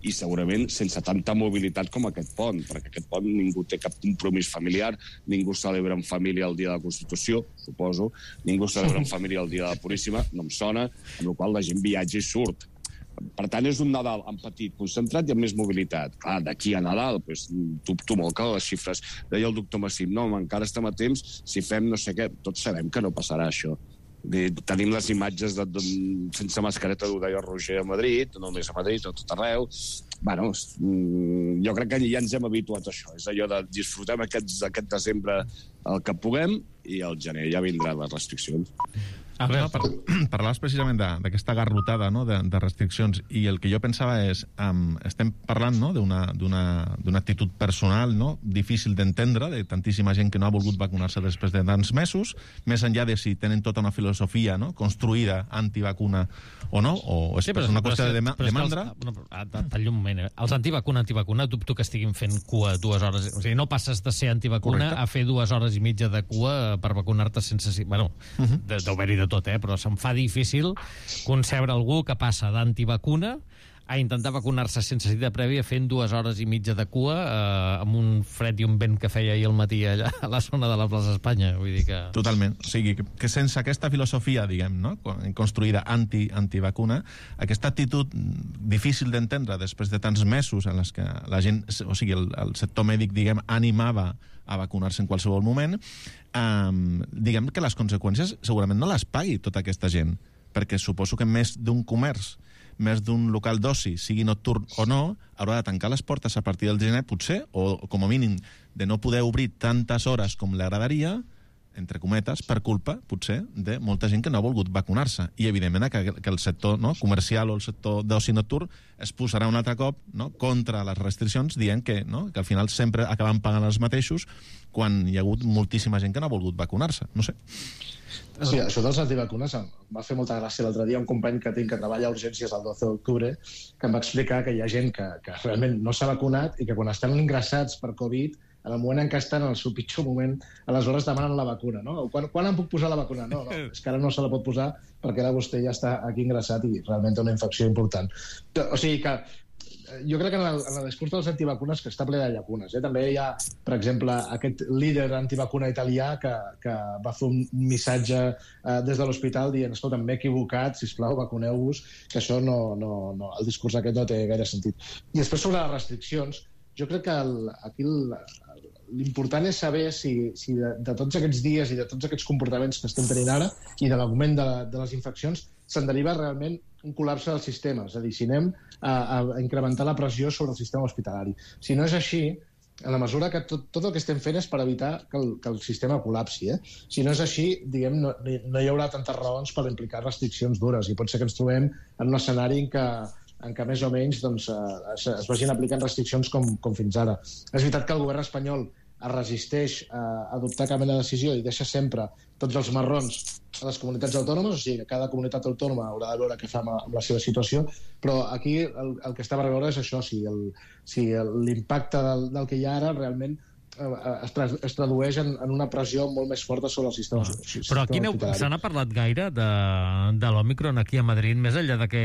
i segurament sense tanta mobilitat com aquest pont, perquè aquest pont ningú té cap compromís familiar, ningú celebra en família el dia de la Constitució, suposo, ningú celebra en família el dia de la Puríssima, no em sona, amb la qual la gent viatja i surt. Per tant, és un Nadal en petit, concentrat i amb més mobilitat. Clar, d'aquí a Nadal, doncs, dubto molt que les xifres. Deia el doctor Massim, no, encara estem a temps, si fem no sé què, tots sabem que no passarà això. Tenim les imatges de, de, sense mascareta, ho deia Roger, a Madrid, no només a Madrid, a tot arreu. Bueno, jo crec que ja ens hem habituat a això. És allò de disfrutem aquest, aquest desembre el que puguem i al gener ja vindran les restriccions. A veure, par parlaves precisament d'aquesta garrotada, no?, de, de restriccions, i el que jo pensava és, um, estem parlant, no?, d'una actitud personal, no?, difícil d'entendre, de tantíssima gent que no ha volgut vacunar-se després de tants mesos, més enllà de si tenen tota una filosofia, no?, construïda antivacuna o no, o és sí, però, una qüestió de demandra. Talla un moment, eh? Els antivacuna, antivacuna, dubto que estiguin fent cua dues hores. O sigui, no passes de ser antivacuna Correcte. A fer dues hores i mitja de cua per vacunar-te sense... Bueno, uh -huh. d'haver-hi de tot, eh? Però se'm fa difícil concebre algú que passa d'antivacuna a intentar vacunar-se sense cita prèvia fent dues hores i mitja de cua eh, amb un fred i un vent que feia ahir al matí allà a la zona de la plaça Espanya. Vull dir que... Totalment. O sigui, que, que sense aquesta filosofia, diguem, no?, construïda anti, antivacuna, aquesta actitud difícil d'entendre després de tants mesos en les que la gent, o sigui, el, el sector mèdic, diguem, animava a vacunar-se en qualsevol moment, um, diguem que les conseqüències segurament no les pagui tota aquesta gent, perquè suposo que més d'un comerç, més d'un local d'oci, sigui nocturn o no, haurà de tancar les portes a partir del gener, potser, o com a mínim de no poder obrir tantes hores com li agradaria, entre cometes, per culpa, potser, de molta gent que no ha volgut vacunar-se. I, evidentment, que, que el sector, no?, comercial o el sector d'oci nocturn es posarà un altre cop, no?, contra les restriccions, dient que, no?, que al final sempre acaben pagant els mateixos quan hi ha hagut moltíssima gent que no ha volgut vacunar-se. No sé. Sí, això dels antivacunes em va fer molta gràcia l'altre dia un company que tinc que treballa a urgències el doce d'octubre que em va explicar que hi ha gent que, que realment no s'ha vacunat i que quan estan ingressats per Covid, en el moment en què estan en el seu pitjor moment, aleshores demanen la vacuna, no? Quan, quan em puc posar la vacuna? No, no, és que ara no se la pot posar perquè ara vostè ja està aquí ingressat i realment té una infecció important. O sigui que jo crec que en el, en el discurs dels antivacunes que està ple de llacunes. Eh? També hi ha, per exemple, aquest líder antivacuna italià que, que va fer un missatge eh, des de l'hospital dient, escolta, m'he equivocat, sisplau, vacuneu-vos, que això no, no, no, el discurs aquest no té gaire sentit. I després sobre les restriccions, jo crec que el, aquí l'important és saber si, si de, de tots aquests dies i de tots aquests comportaments que estem tenint ara i de l'augment de, de les infeccions se'n deriva realment un col·lapse del sistema. És a dir, si anem a, a incrementar la pressió sobre el sistema hospitalari. Si no és així, en la mesura que tot, tot el que estem fent és per evitar que el, que el sistema col·lapsi. Eh? Si no és així, diguem, no, no hi haurà tantes raons per implicar restriccions dures i pot ser que ens trobem en un escenari en què en què més o menys doncs, es, es vagin aplicant restriccions com, com fins ara. És veritat que el govern espanyol es resisteix a adoptar cap mena de decisió i deixa sempre tots els marrons a les comunitats autònomes, o sigui que cada comunitat autònoma haurà de veure què fa amb la seva situació, però aquí el, el que estava a veure és això, si l'impacte si del, del que hi ha ara realment es, tra es tradueix en, en una pressió molt més forta sobre el sistema. Ah. Sistema Però aquí se n'ha parlat gaire de, de l'Òmicron aquí a Madrid, més enllà de que...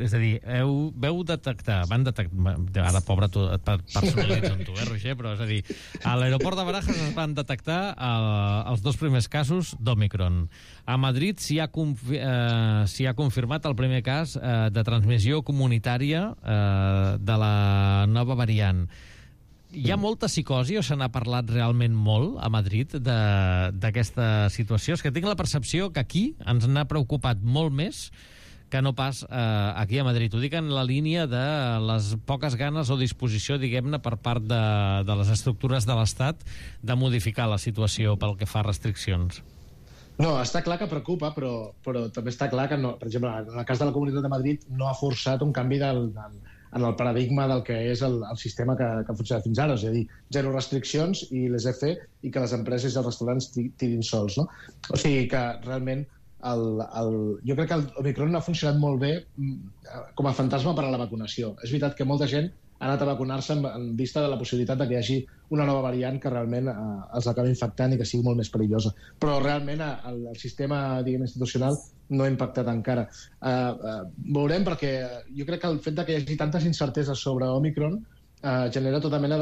És a dir, heu, veu detectar... Van detectar... Ara, pobre, tu, et personalitzo amb tu, eh, Roger? Però, és a dir, a l'aeroport de Barajas es van detectar el, els dos primers casos d'Òmicron. A Madrid s'hi ha, eh, s'hi ha confirmat el primer cas eh, de transmissió comunitària eh, de la nova variant. Hi ha molta psicosi o se n'ha parlat realment molt a Madrid d'aquesta situació? És que tinc la percepció que aquí ens n'ha preocupat molt més que no pas eh, aquí a Madrid. Ho dic en la línia de les poques ganes o disposició, diguem-ne, per part de, de les estructures de l'Estat de modificar la situació pel que fa a restriccions. No, està clar que preocupa, però, però també està clar que, no, per exemple, en el cas de la Comunitat de Madrid no ha forçat un canvi del, del, en el paradigma del que és el, el sistema que, que ha funcionat fins ara, és a dir, zero restriccions i les he fet i que les empreses i els restaurants tirin sols, no? O sigui que realment el, el, jo crec que el Omicron ha funcionat molt bé com a fantasma per a la vacunació. És veritat que molta gent anat a vacunar-se en, en vista de la possibilitat de que hi hagi una nova variant que realment eh, els acabi infectant i que sigui molt més perillosa. Però realment el, el sistema, diguem, institucional no ha impactat encara. Eh, eh, veurem, perquè jo crec que el fet de que hi hagi tantes incerteses sobre Omicron eh, genera tota mena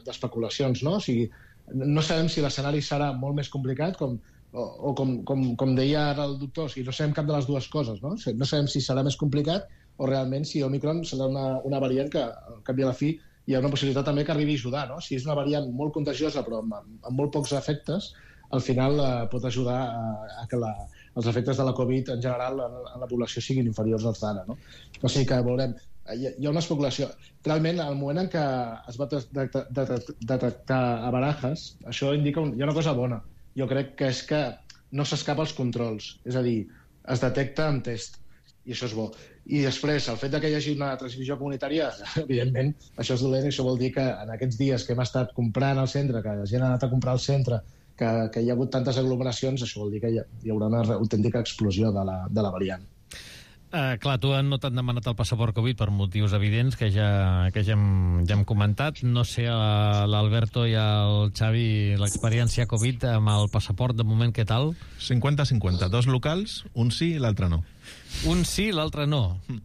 d'especulacions, de, de, no? O sigui, no sabem si l'escenari serà molt més complicat, com, o, o com, com, com deia ara el doctor, o sigui, no sabem cap de les dues coses, no? No sabem si serà més complicat o realment si Omicron serà una, una variant que, al cap i a la fi, hi ha una possibilitat també que arribi a ajudar, no? Si és una variant molt contagiosa però amb, amb molt pocs efectes, al final eh, pot ajudar a, a que la, els efectes de la Covid en general en, en la població siguin inferiors als d'ara, no? O sigui que veurem. Hi ha una especulació. Realment, al moment en què es va detectar a Barajas, això indica un, hi ha una cosa bona. Jo crec que és que no s'escapa als controls. És a dir, es detecta amb test. I això és bo. I després, el fet de que hi hagi una transmissió comunitària, evidentment, això és dolent, i això vol dir que en aquests dies que hem estat comprant al centre, que la gent ha anat a comprar al centre, que, que hi ha hagut tantes aglomeracions, això vol dir que hi, ha, hi haurà una autèntica explosió de la, de la variant. Uh, clar, tu no t'han demanat el passaport Covid per motius evidents que ja, que ja, hem, ja hem comentat. No sé, uh, l'Alberto i el Xavi, l'experiència Covid amb el passaport, de moment, què tal? cinquanta cinquanta. Dos locals, un sí i l'altre no. Un sí, l'altre no. Mm.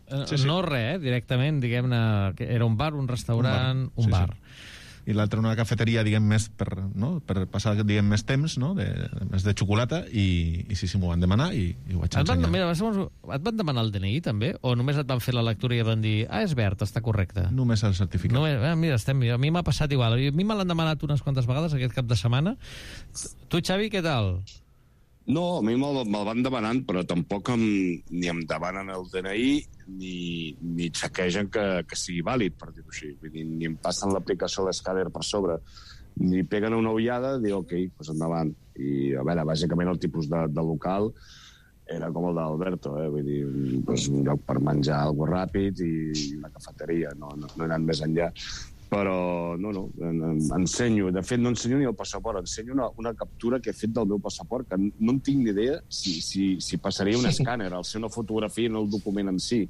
Uh, sí, sí. No res, eh? Directament, diguem-ne, era un bar, un restaurant, un bar. Un sí, bar. Sí. I l'altre una cafeteria, diguem, més per, no? per passar, diguem, més temps, no? de, més de xocolata, i, i sí, sí, m'ho van demanar i, i ho vaig ensenyar. Et van, mira, et van demanar el D N I, també? O només et van fer la lectura i et van dir, ah, és verd, està correcte? Només el certificat. Només, eh, mira, estem, a mi m'ha passat igual. A mi me l'han demanat unes quantes vegades aquest cap de setmana. Tu, Xavi, què tal? No, a mi me'l me van demanant, però tampoc em, ni em demanen el D N I ni, ni xequegen que, que sigui vàlid, per dir-ho així. Vull dir, ni em passen l'aplicació d'escàner per sobre, ni peguen una ullada i dic, ok, doncs endavant. I, a veure, bàsicament el tipus de, de local era com el d'Alberto, eh? Vull dir, doncs un lloc per menjar alguna ràpid i una cafeteria, no, no, no he anat més enllà. Però, no, no, ensenyo. De fet, no ensenyo ni el passaport, ensenyo una, una captura que he fet del meu passaport, que no en tinc ni idea si, si, si passaria un escàner, al ser una fotografia en el document en si,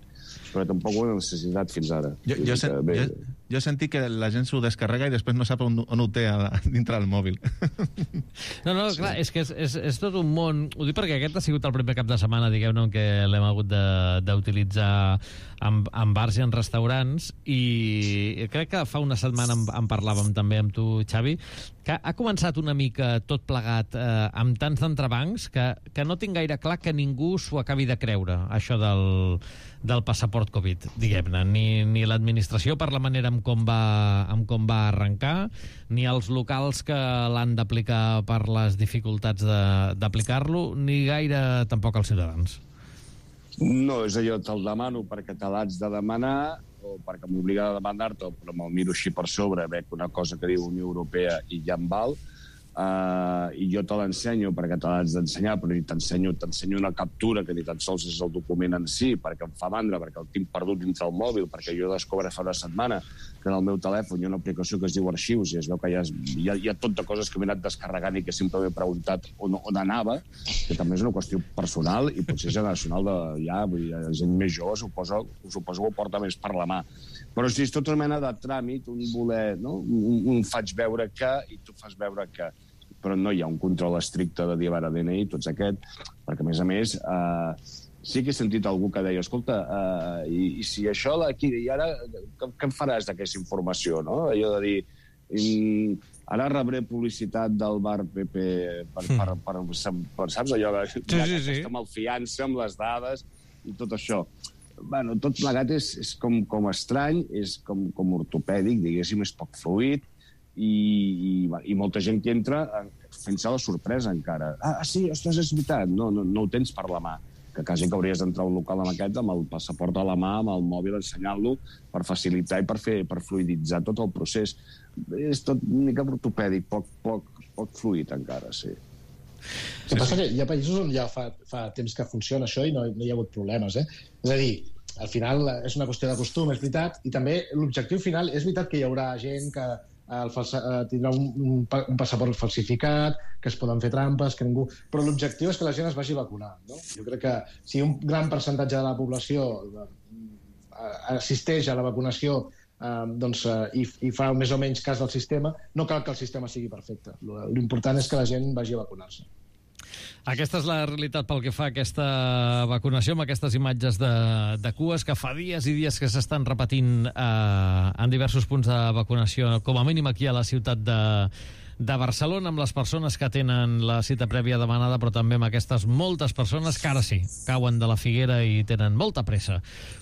però tampoc ho he necessitat fins ara. Jo, jo, sen, jo, jo he sentit que la gent s'ho descarrega i després no sap on, on ho té a, dintre del mòbil. No, no, clar, és que és, és, és tot un món. Ho dic perquè aquest ha sigut el primer cap de setmana, diguem-ne, que l'hem hagut d'utilitzar en, en bars i en restaurants, i crec que fa una setmana en, en parlàvem també amb tu, Xavi, que ha començat una mica tot plegat eh, amb tants d'entrebancs que, que no tinc gaire clar que ningú s'ho acabi de creure, això del, del passaport Covid, diguem-ne. Ni, ni l'administració per la manera amb com, va, amb com va arrencar, ni els locals que l'han d'aplicar per les dificultats d'aplicar-lo, ni gaire tampoc els ciutadans. No, és allò, te'l demano perquè te l'haig de demanar o perquè m'obliga a demanar-te, però me'l miro així per sobre, veig una cosa que diu Unió Europea i ja em val, uh, i jo te l'ensenyo perquè te l'haig d'ensenyar, però ni t'ensenyo t'ensenyo una captura que ni tan sols és el document en si, perquè em fa mandra, perquè el tinc perdut dins del mòbil, perquè jo descobre fa una setmana que en el meu telèfon hi ha una aplicació que es diu Arxius i es veu que hi ha, hi ha, hi ha tot de coses que m'he anat descarregant i que sempre m'he preguntat on, on anava, que també és una qüestió personal i potser generacional de ja, vull dir, la gent més jove suposo, suposo que ho porta més per la mà. Però si és tota mena de tràmit, un voler, no? un, un faig veure que i tu fas veure que, però no hi ha un control estricte de dir a D N I, tots aquest, perquè a més a més eh, sí que he sentit algú que deia, escolta, uh, i, i si això d'aquí, i ara què, què en faràs d'aquesta informació, no? Allò de dir, um, ara rebré publicitat del bar P P per, per, per, per, per saps, allò de, sí, sí, sí. Aquesta malfiança amb les dades i tot això. Bueno, tot plegat és, és com, com estrany, és com, com ortopèdic, diguéssim, és poc fluid, i, i, i molta gent que entra fent-se la sorpresa encara. Ah, sí, ostres, és veritat, no, no, no ho tens per la mà, que quasi que hauries d'entrar a un local amb aquest, amb el passaport a la mà, amb el mòbil, ensenyant-lo per facilitar i per fer per fluiditzar tot el procés. És tot una mica ortopèdic, poc, poc, poc fluid encara, sí. El que passa que hi ha països on ja fa, fa temps que funciona això i no, no hi ha hagut problemes, eh? És a dir, al final és una qüestió de costum, és veritat, i també l'objectiu final, és veritat que hi haurà gent que el falsa, tindrà un, un, un passaport falsificat, que es poden fer trampes, que ningú... Però l'objectiu és que la gent es vagi vacunar, no? Jo crec que si un gran percentatge de la població assisteix a la vacunació eh, doncs, eh, i, i fa més o menys cas del sistema, no cal que el sistema sigui perfecte. L'important és que la gent vagi a vacunar-se. Aquesta és la realitat pel que fa a aquesta vacunació, amb aquestes imatges de, de cues que fa dies i dies que s'estan repetint eh, en diversos punts de vacunació, com a mínim aquí a la ciutat de de Barcelona, amb les persones que tenen la cita prèvia demanada, però també amb aquestes moltes persones que ara sí, cauen de la figuera i tenen molta pressa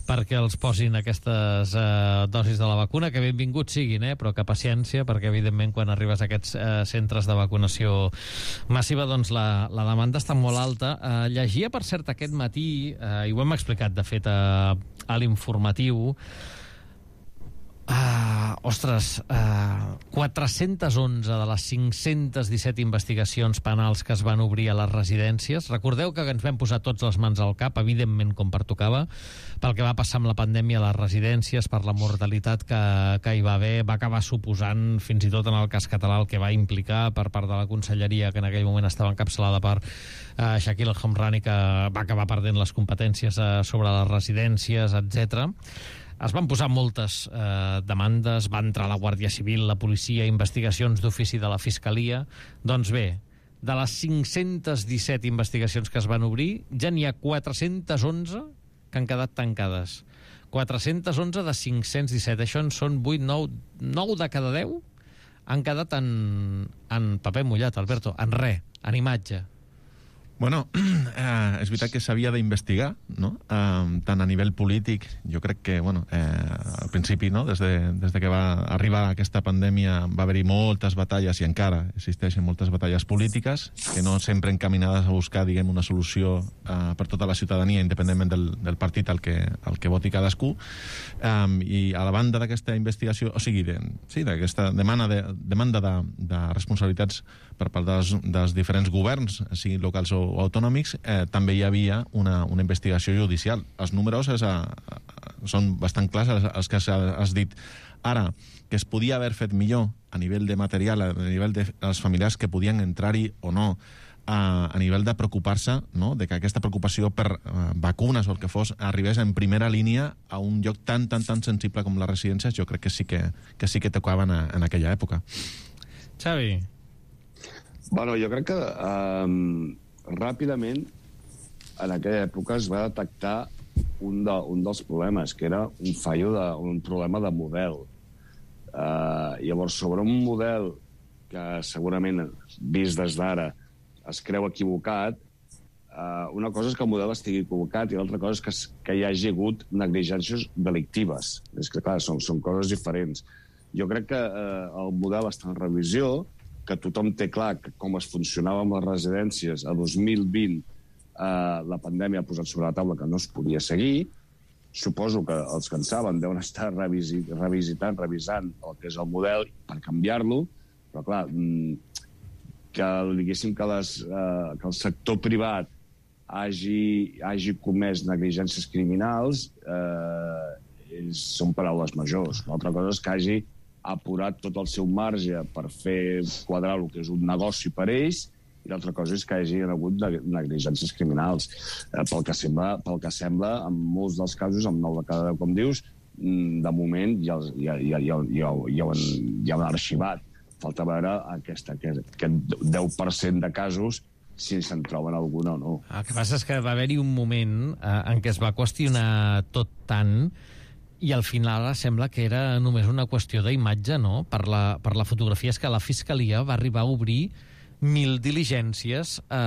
perquè els posin aquestes eh, dosis de la vacuna, que benvinguts siguin, eh, però que paciència, perquè evidentment quan arribes a aquests eh, centres de vacunació massiva, doncs la, la demanda està molt alta. Eh, llegia, per cert, aquest matí, eh, i ho hem explicat, de fet, a, a l'informatiu, Uh, ostres, uh, quatre-cents onze de les cinc-cents disset investigacions penals que es van obrir a les residències. Recordeu que ens vam posar tots les mans al cap, evidentment com pertocava, pel que va passar amb la pandèmia a les residències, per la mortalitat que, que hi va haver, va acabar suposant, fins i tot en el cas català, el que va implicar per part de la conselleria, que en aquell moment estava encapçalada per uh, Shakil El-Homrani, que va acabar perdent les competències uh, sobre les residències, etcètera. Es van posar moltes eh, demandes, va entrar la Guàrdia Civil, la policia, investigacions d'ofici de la Fiscalia. Doncs bé, de les cinc-cents disset investigacions que es van obrir, ja n'hi ha quatre-cents onze que han quedat tancades. quatre-cents onze de cinc-cents disset. Això en són vuit, nou, nou de cada deu han quedat en, en paper mullat, Alberto, en res, en imatge. Bueno, eh, és veritat que s'havia d'investigar, no? Eh, tant a nivell polític, jo crec que, bueno, eh, al principi, no? Des de, des de que va arribar aquesta pandèmia va haver-hi moltes batalles, i encara existeixen moltes batalles polítiques, que no sempre encaminades a buscar, diguem, una solució eh, per tota la ciutadania, independentment del, del partit al que, al que voti cadascú. Eh, I a la banda d'aquesta investigació, o sigui, de, sí, d'aquesta demanda de, demanda de, de responsabilitats per part dels, dels diferents governs, siguin locals o o autònomics, eh, també hi havia una, una investigació judicial. Els números és a, a, són bastant clars, els, els que has dit. Ara, que es podia haver fet millor a nivell de material, a nivell de els familiars que podien entrar-hi o no, a, a nivell de preocupar-se, no?, de que aquesta preocupació per uh, vacunes o el que fos arribés en primera línia a un lloc tan, tan, tan sensible com les residències, jo crec que sí que, que, sí que tocaven a, en aquella època. Xavi? Bueno, jo crec que um, ràpidament en aquella època es va detectar un, de, un dels problemes, que era un fallo, de, un problema de model. Uh, llavors, sobre un model que segurament, vist des d'ara, es creu equivocat, uh, una cosa és que el model estigui equivocat i l'altra cosa és que, que hi hagi hagut negligències delictives. És que, clar, són, són coses diferents. Jo crec que uh, el model està en revisió, que tothom té clar que com es funcionava amb les residències a dos mil vint, eh, la pandèmia ha posat sobre la taula que no es podia seguir. Suposo que els que en saben deuen estar revisi, revisitant, revisant el que és el model per canviar-lo, però clar, que, diguéssim, que, les, eh, que el sector privat hagi, hagi comès negligències criminals eh, és, són paraules majors. L'altra cosa és que hagi ha apurat tot el seu marge per fer quadrar el que és un negoci per ells, i l'altra cosa és que hi hagi hagut negligències criminals. Eh, pel, que sembla, pel que sembla, en molts dels casos, amb nou de cada deu, com dius, de moment ja, ja, ja, ja, ja, ja, ho han, ja ho han arxivat. Falta veure aquesta, aquest, aquest deu per cent de casos si se'n troben alguna o no. El que passa és que va haver-hi un moment eh, en què es va qüestionar tot tant i al final sembla que era només una qüestió d'imatge, no? Per la, per la fotografia. És que la Fiscalia va arribar a obrir mil diligències a,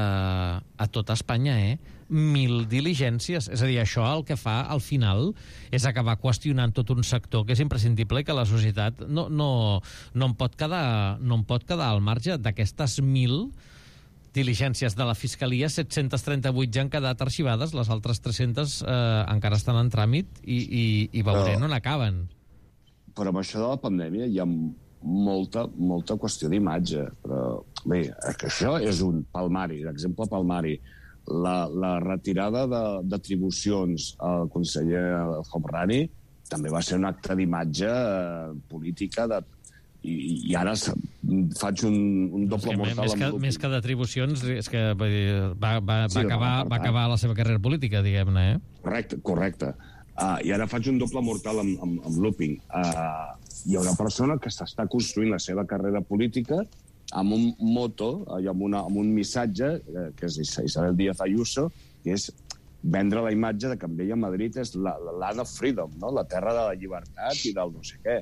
a tot Espanya, eh? Mil diligències. És a dir, això el que fa al final és acabar qüestionant tot un sector que és imprescindible i que la societat no, no, no, en pot quedar, no en pot quedar al marge. D'aquestes mil diligències de la Fiscalia, set-cents trenta-vuit ja han quedat arxivades, les altres tres-centes eh, encara estan en tràmit i, i, i veurem on acaben. Però amb això de la pandèmia hi ha molta, molta qüestió d'imatge. Però bé, que això és un palmari, l'exemple palmari. La, la retirada d'atribucions al conseller El-Homrani també va ser un acte d'imatge eh, política de I, i ara faig un, un doble mortal. Més que, més que d'atribucions, és que va, va, va, sí, acabar, va acabar la seva carrera política, diguem-ne, eh? Correcte, correcte. Uh, I ara faig un doble mortal amb, amb, amb looping. Uh, hi ha una persona que s'està construint la seva carrera política amb un moto i amb, una, amb un missatge, eh, que és Isabel Díaz Ayuso, que és vendre la imatge de que amb ella Madrid és la, la land of freedom, no? La terra de la llibertat i del no sé què.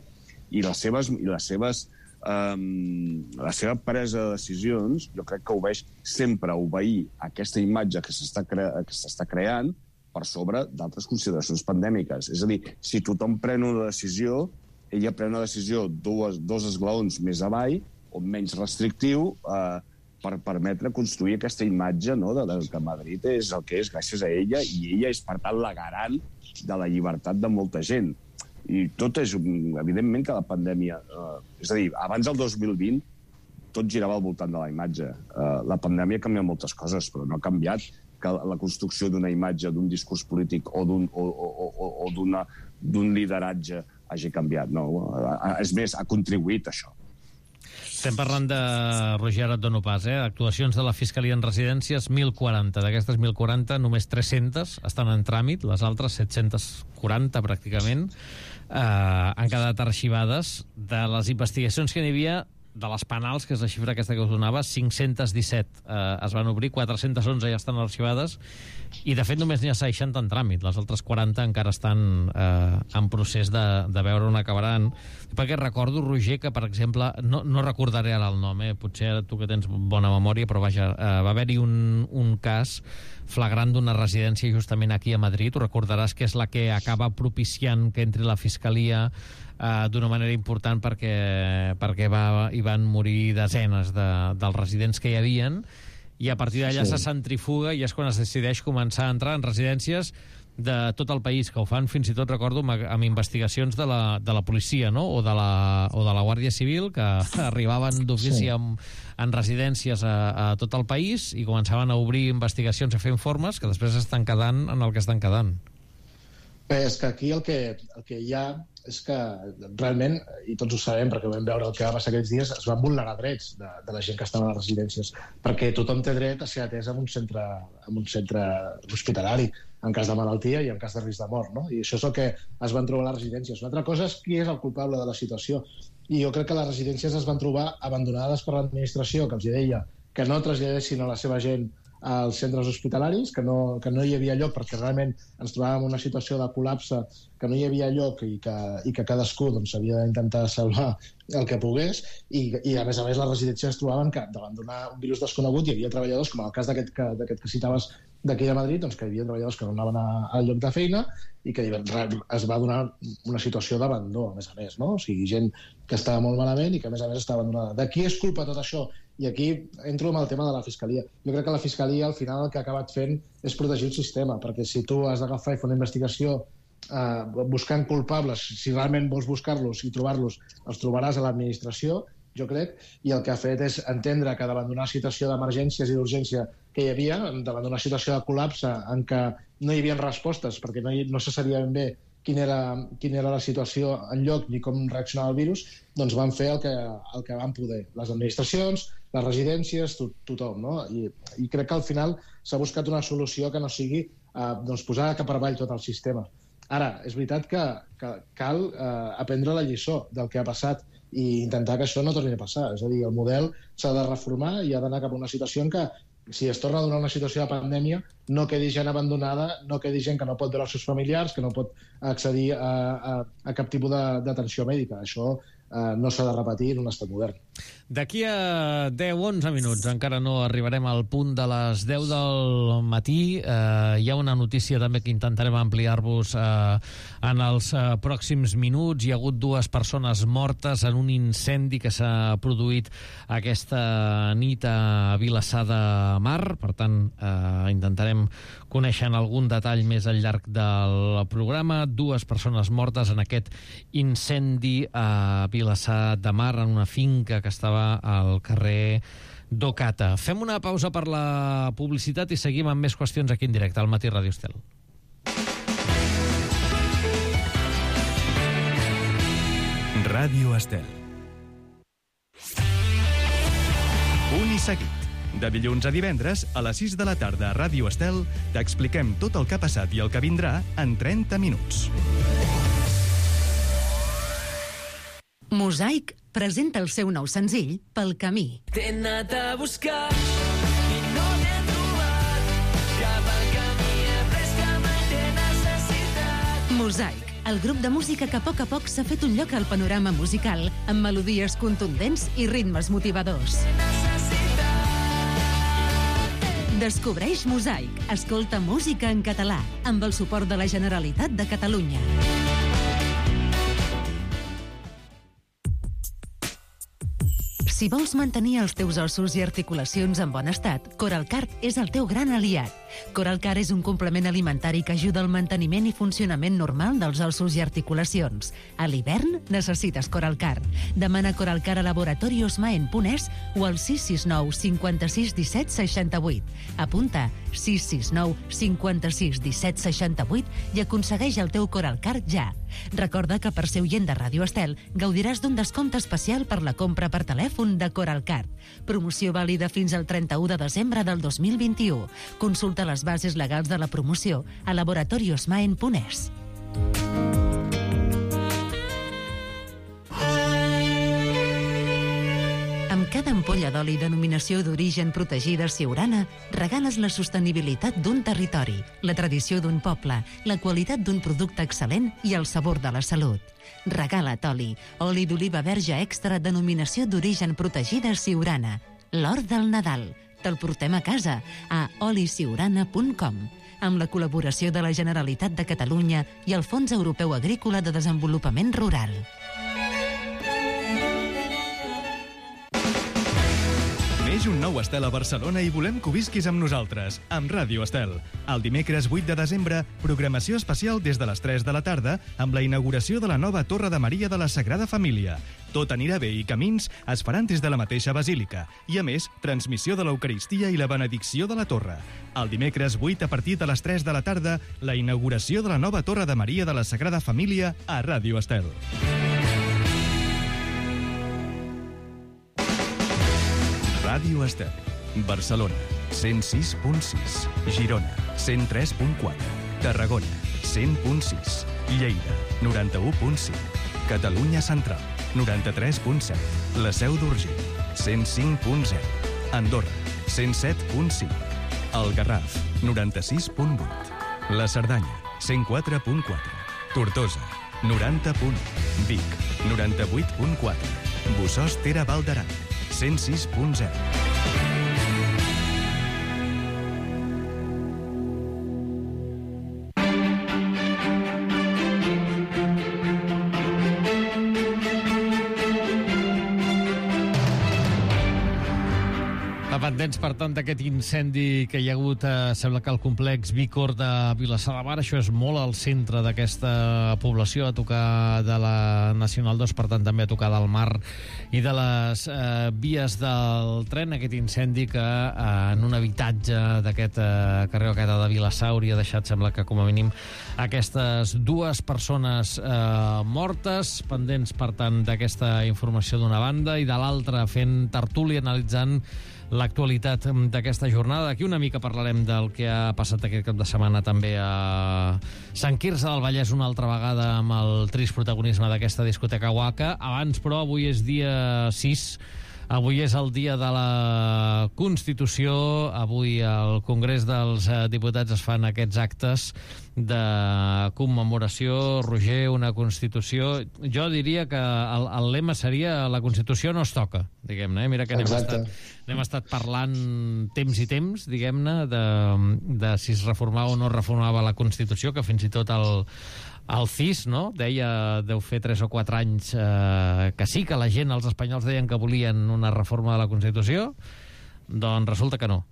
I les seves, i les seves um, la seva presa de decisions, jo crec que obeeix sempre obeir aquesta imatge que s'està cre que s'està creant per sobre d'altres consideracions pandèmiques. És a dir, si tothom pren una decisió, ella pren una decisió dues, dos esglaons més avall, o menys restrictiu, eh, per permetre construir aquesta imatge, no?, de, de que Madrid és el que és gràcies a ella, i ella és, per tant, la garant de la llibertat de molta gent. I tot és, evidentment, que la pandèmia... Eh, és a dir, abans del dos mil vint, tot girava al voltant de la imatge. Eh, la pandèmia ha canviat moltes coses, però no ha canviat que la construcció d'una imatge, d'un discurs polític o d'un o, o, o, o d'una d'un lideratge hagi canviat. No, és més, ha contribuït a això. Estem parlant de, Roger, ara et dono pas, eh? Actuacions de la Fiscalia en residències, mil quaranta. D'aquestes mil quaranta, només tres-centes estan en tràmit, les altres set-cents quaranta, pràcticament, eh, han quedat arxivades. De les investigacions que n'hi havia, de les penals, que és la xifra aquesta que us donava, cinc-cents disset eh, es van obrir, quatre-cents onze ja estan arxivades, i de fet només n'hi ha seixanta en tràmit, les altres quaranta encara estan eh, en procés de, de veure on acabaran. Perquè recordo, Roger, que per exemple, no, no recordaré ara el nom, eh? Potser tu que tens bona memòria, però vaja, eh, va haver-hi un, un cas flagrant d'una residència justament aquí a Madrid, ho recordaràs, que és la que acaba propiciant que entri la Fiscalia Uh, d'una manera important perquè, perquè va, hi van morir desenes de, dels residents que hi havien, i a partir d'allà sí. se centrifuga i és quan es decideix començar a entrar en residències de tot el país, que ho fan fins i tot, recordo, amb, amb investigacions de la, de la policia, no? o, de la, o de la Guàrdia Civil, que arribaven d'ofici sí. en, en residències a, a tot el país i començaven a obrir investigacions, a fer informes que després estan quedant en el que estan quedant. Bé, és que aquí el que, el que hi ha és que realment, i tots ho sabem perquè ho vam veure el que va passar aquests dies, es van vulnerar drets de, de la gent que estava a les residències, perquè tothom té dret a ser atès en un centre, en un centre hospitalari, en cas de malaltia i en cas de risc de mort, no? I això és el que es van trobar a les residències. Una altra cosa és qui és el culpable de la situació. I jo crec que les residències es van trobar abandonades per l'administració, que els deia que no traslladessin a la seva gent als centres hospitalaris, que no, que no hi havia lloc perquè realment ens trobàvem en una situació de col·lapse, que no hi havia lloc i que, i que cadascú doncs, havia d'intentar salvar el que pogués, i, i a més a més les residències es trobaven que davant d'un virus desconegut hi havia treballadors, com el cas d'aquest que, d'aquest que citaves d'aquí de Madrid, doncs que hi havia treballadors que no anaven a, al lloc de feina i que es va donar una situació d'abandó, a més a més, no? O sigui, gent que estava molt malament i que a més a més estava abandonada. De qui és culpa tot això? I aquí entro amb el tema de la Fiscalia. Jo crec que la Fiscalia al final el que ha acabat fent és protegir el sistema, perquè si tu has d'agafar i fer una investigació eh, buscant culpables, si realment vols buscar-los i trobar-los, els trobaràs a l'administració, jo crec, i el que ha fet és entendre que davant d'una situació d'emergències i d'urgència que hi havia, davant d'una situació de col·lapse en què no hi havia respostes, perquè no, hi, no se sabia ben bé quina era, quina era la situació en lloc ni com reaccionava el virus, doncs van fer el que, el que van poder. Les administracions, les residències, to, tothom, no? I, I crec que al final s'ha buscat una solució que no sigui eh, doncs posar cap avall tot el sistema. Ara, és veritat que, que cal eh, aprendre la lliçó del que ha passat i intentar que això no torni a passar. És a dir, el model s'ha de reformar i ha d'anar cap a una situació en què, si es torna a donar una situació de pandèmia, no quedi gent abandonada, no quedi gent que no pot veure els seus familiars, que no pot accedir a, a, a cap tipus d'atenció mèdica. Això eh, no s'ha de repetir en un estat modern. D'aquí a deu a onze minuts, encara no arribarem al punt de les deu del matí. Eh, hi ha una notícia també que intentarem ampliar-vos eh, en els eh, pròxims minuts. Hi ha hagut dues persones mortes en un incendi que s'ha produït aquesta nit a Vilassar de Mar. Per tant, eh, intentarem conèixer en algun detall més al llarg del programa. Dues persones mortes en aquest incendi a Vilassar de Mar, en una finca que estava al carrer d'Ocata. Fem una pausa per la publicitat i seguim amb més qüestions aquí en directe al Matí Ràdio Estel. Ràdio Estel. Punt i seguit. De dilluns a divendres, a les sis de la tarda a Ràdio Estel, t'expliquem tot el que ha passat i el que vindrà en trenta minuts. Mosaic presenta el seu nou senzill Pel camí. T'he anat a buscar i no t'he trobat. Cap al camí he pres que mai t'he necessitat. Mosaic, el grup de música que a poc a poc s'ha fet un lloc al panorama musical amb melodies contundents i ritmes motivadors. Descobreix Mosaic. Escolta música en català amb el suport de la Generalitat de Catalunya. Si vols mantenir els teus ossos i articulacions en bon estat, Coralcart és el teu gran aliat. Coralcart és un complement alimentari que ajuda al manteniment i funcionament normal dels ossos i articulacions. A l'hivern necessites Coralcart. Demana Coralcart a Laboratorios Maen punt es o al sis sis nou cinquanta-sis disset seixanta-vuit. Apunta sis sis nou cinquanta-sis disset seixanta-vuit i aconsegueix el teu Coralcart ja. Recorda que per ser oient de Ràdio Estel gaudiràs d'un descompte especial per la compra per telèfon de Coralcart. Promoció vàlida fins al trenta-u de desembre del dos mil vint-i-u. Consulta les bases legals de la promoció a laboratorios maen punt es. Amb cada ampolla d'oli denominació d'origen protegida Siurana, regales la sostenibilitat d'un territori, la tradició d'un poble, la qualitat d'un producte excel·lent i el sabor de la salut. Regala't oli, oli d'oliva verge extra denominació d'origen protegida Siurana. L'or del Nadal. Te'l portem a casa a oli siurana punt com amb la col·laboració de la Generalitat de Catalunya i el Fons Europeu Agrícola de Desenvolupament Rural. Neix un nou Estel a Barcelona i volem que ho visquis amb nosaltres, amb Ràdio Estel. El dimecres vuit de desembre, programació especial des de les tres de la tarda amb la inauguració de la nova Torre de Maria de la Sagrada Família. Tot anirà bé i camins es faran des de la mateixa basílica. I, a més, transmissió de l'Eucaristia i la benedicció de la torre. El dimecres vuit, a partir de les tres de la tarda, la inauguració de la nova Torre de Maria de la Sagrada Família a Ràdio Estel. Ràdio Estel. Barcelona, cent sis punt sis. Girona, cent tres punt quatre. Tarragona, cent punt sis. Lleida, noranta-u punt cinc. Catalunya Central, noranta-tres punt set. La Seu d'Urgell, cent cinc punt zero. Andorra, cent set punt cinc. El Garraf, noranta-sis punt vuit. La Cerdanya, cent quatre punt quatre. Tortosa, noranta punt u. Vic, noranta-vuit punt quatre. Bossòst Ter Val d'Aran, cent sis punt zero. Pendents, per tant, d'aquest incendi que hi ha hagut, eh, sembla que al complex Vícor de Vilassar de Mar, això és molt al centre d'aquesta població, a tocar de la Nacional dos, per tant, també a tocar del mar i de les eh, vies del tren, aquest incendi que eh, en un habitatge d'aquest eh, carrer Oqueta de Vilassar hauria deixat, sembla que com a mínim, aquestes dues persones eh, mortes, pendents, per tant, d'aquesta informació d'una banda, i de l'altra fent tertúlia, analitzant l'actualitat d'aquesta jornada. D'aquí una mica parlarem del que ha passat aquest cap de setmana també a Sant Quirze del Vallès una altra vegada amb el trist protagonisme d'aquesta discoteca Waka. Abans, però, avui és dia sis. Avui és el dia de la Constitució. Avui al Congrés dels Diputats es fan aquests actes de commemoració. Roger, una Constitució... Jo diria que el, el lema seria la Constitució no es toca, diguem-ne. Eh? Mira que n'hem estat, n'hem estat parlant temps i temps, diguem-ne, de, de si es reformava o no reformava la Constitució, que fins i tot el... El C I S, no?, deia, deu fer tres o quatre anys, eh, que sí, que la gent, els espanyols, deien que volien una reforma de la Constitució, doncs resulta que no.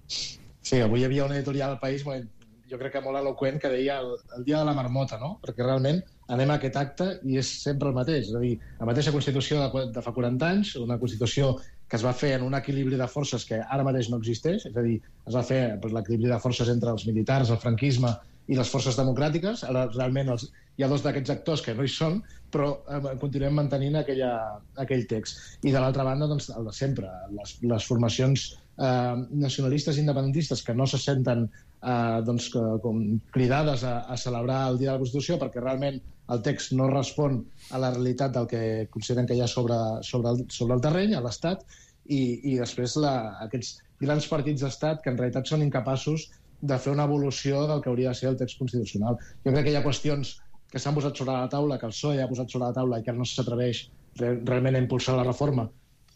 Sí, avui hi havia un editorial al País, jo crec que molt eloqüent, que deia el, el dia de la marmota, no?, perquè realment anem a aquest acte i és sempre el mateix, és a dir, la mateixa Constitució de, de fa quaranta anys, una Constitució que es va fer en un equilibri de forces que ara mateix no existeix, és a dir, es va fer per l'equilibri de forces entre els militars, el franquisme i les forces democràtiques. Ara realment els, hi ha dos d'aquests actors que no hi són, però eh, continuem mantenint aquella, aquell text. I de l'altra banda, doncs, el de sempre, les, les formacions eh, nacionalistes independentistes que no se senten eh, doncs, que, com cridades a, a celebrar el Dia de la Constitució perquè realment el text no respon a la realitat del que consideren que hi ha sobre, sobre, el, sobre el terreny, a l'Estat, i, i després la, aquests grans partits d'Estat que en realitat són incapaços de fer una evolució del que hauria de ser el text constitucional. Jo crec que hi ha qüestions que s'han posat sobre la taula, que el P S O E ha posat sobre la taula i que no s'atreveix re, realment a impulsar la reforma,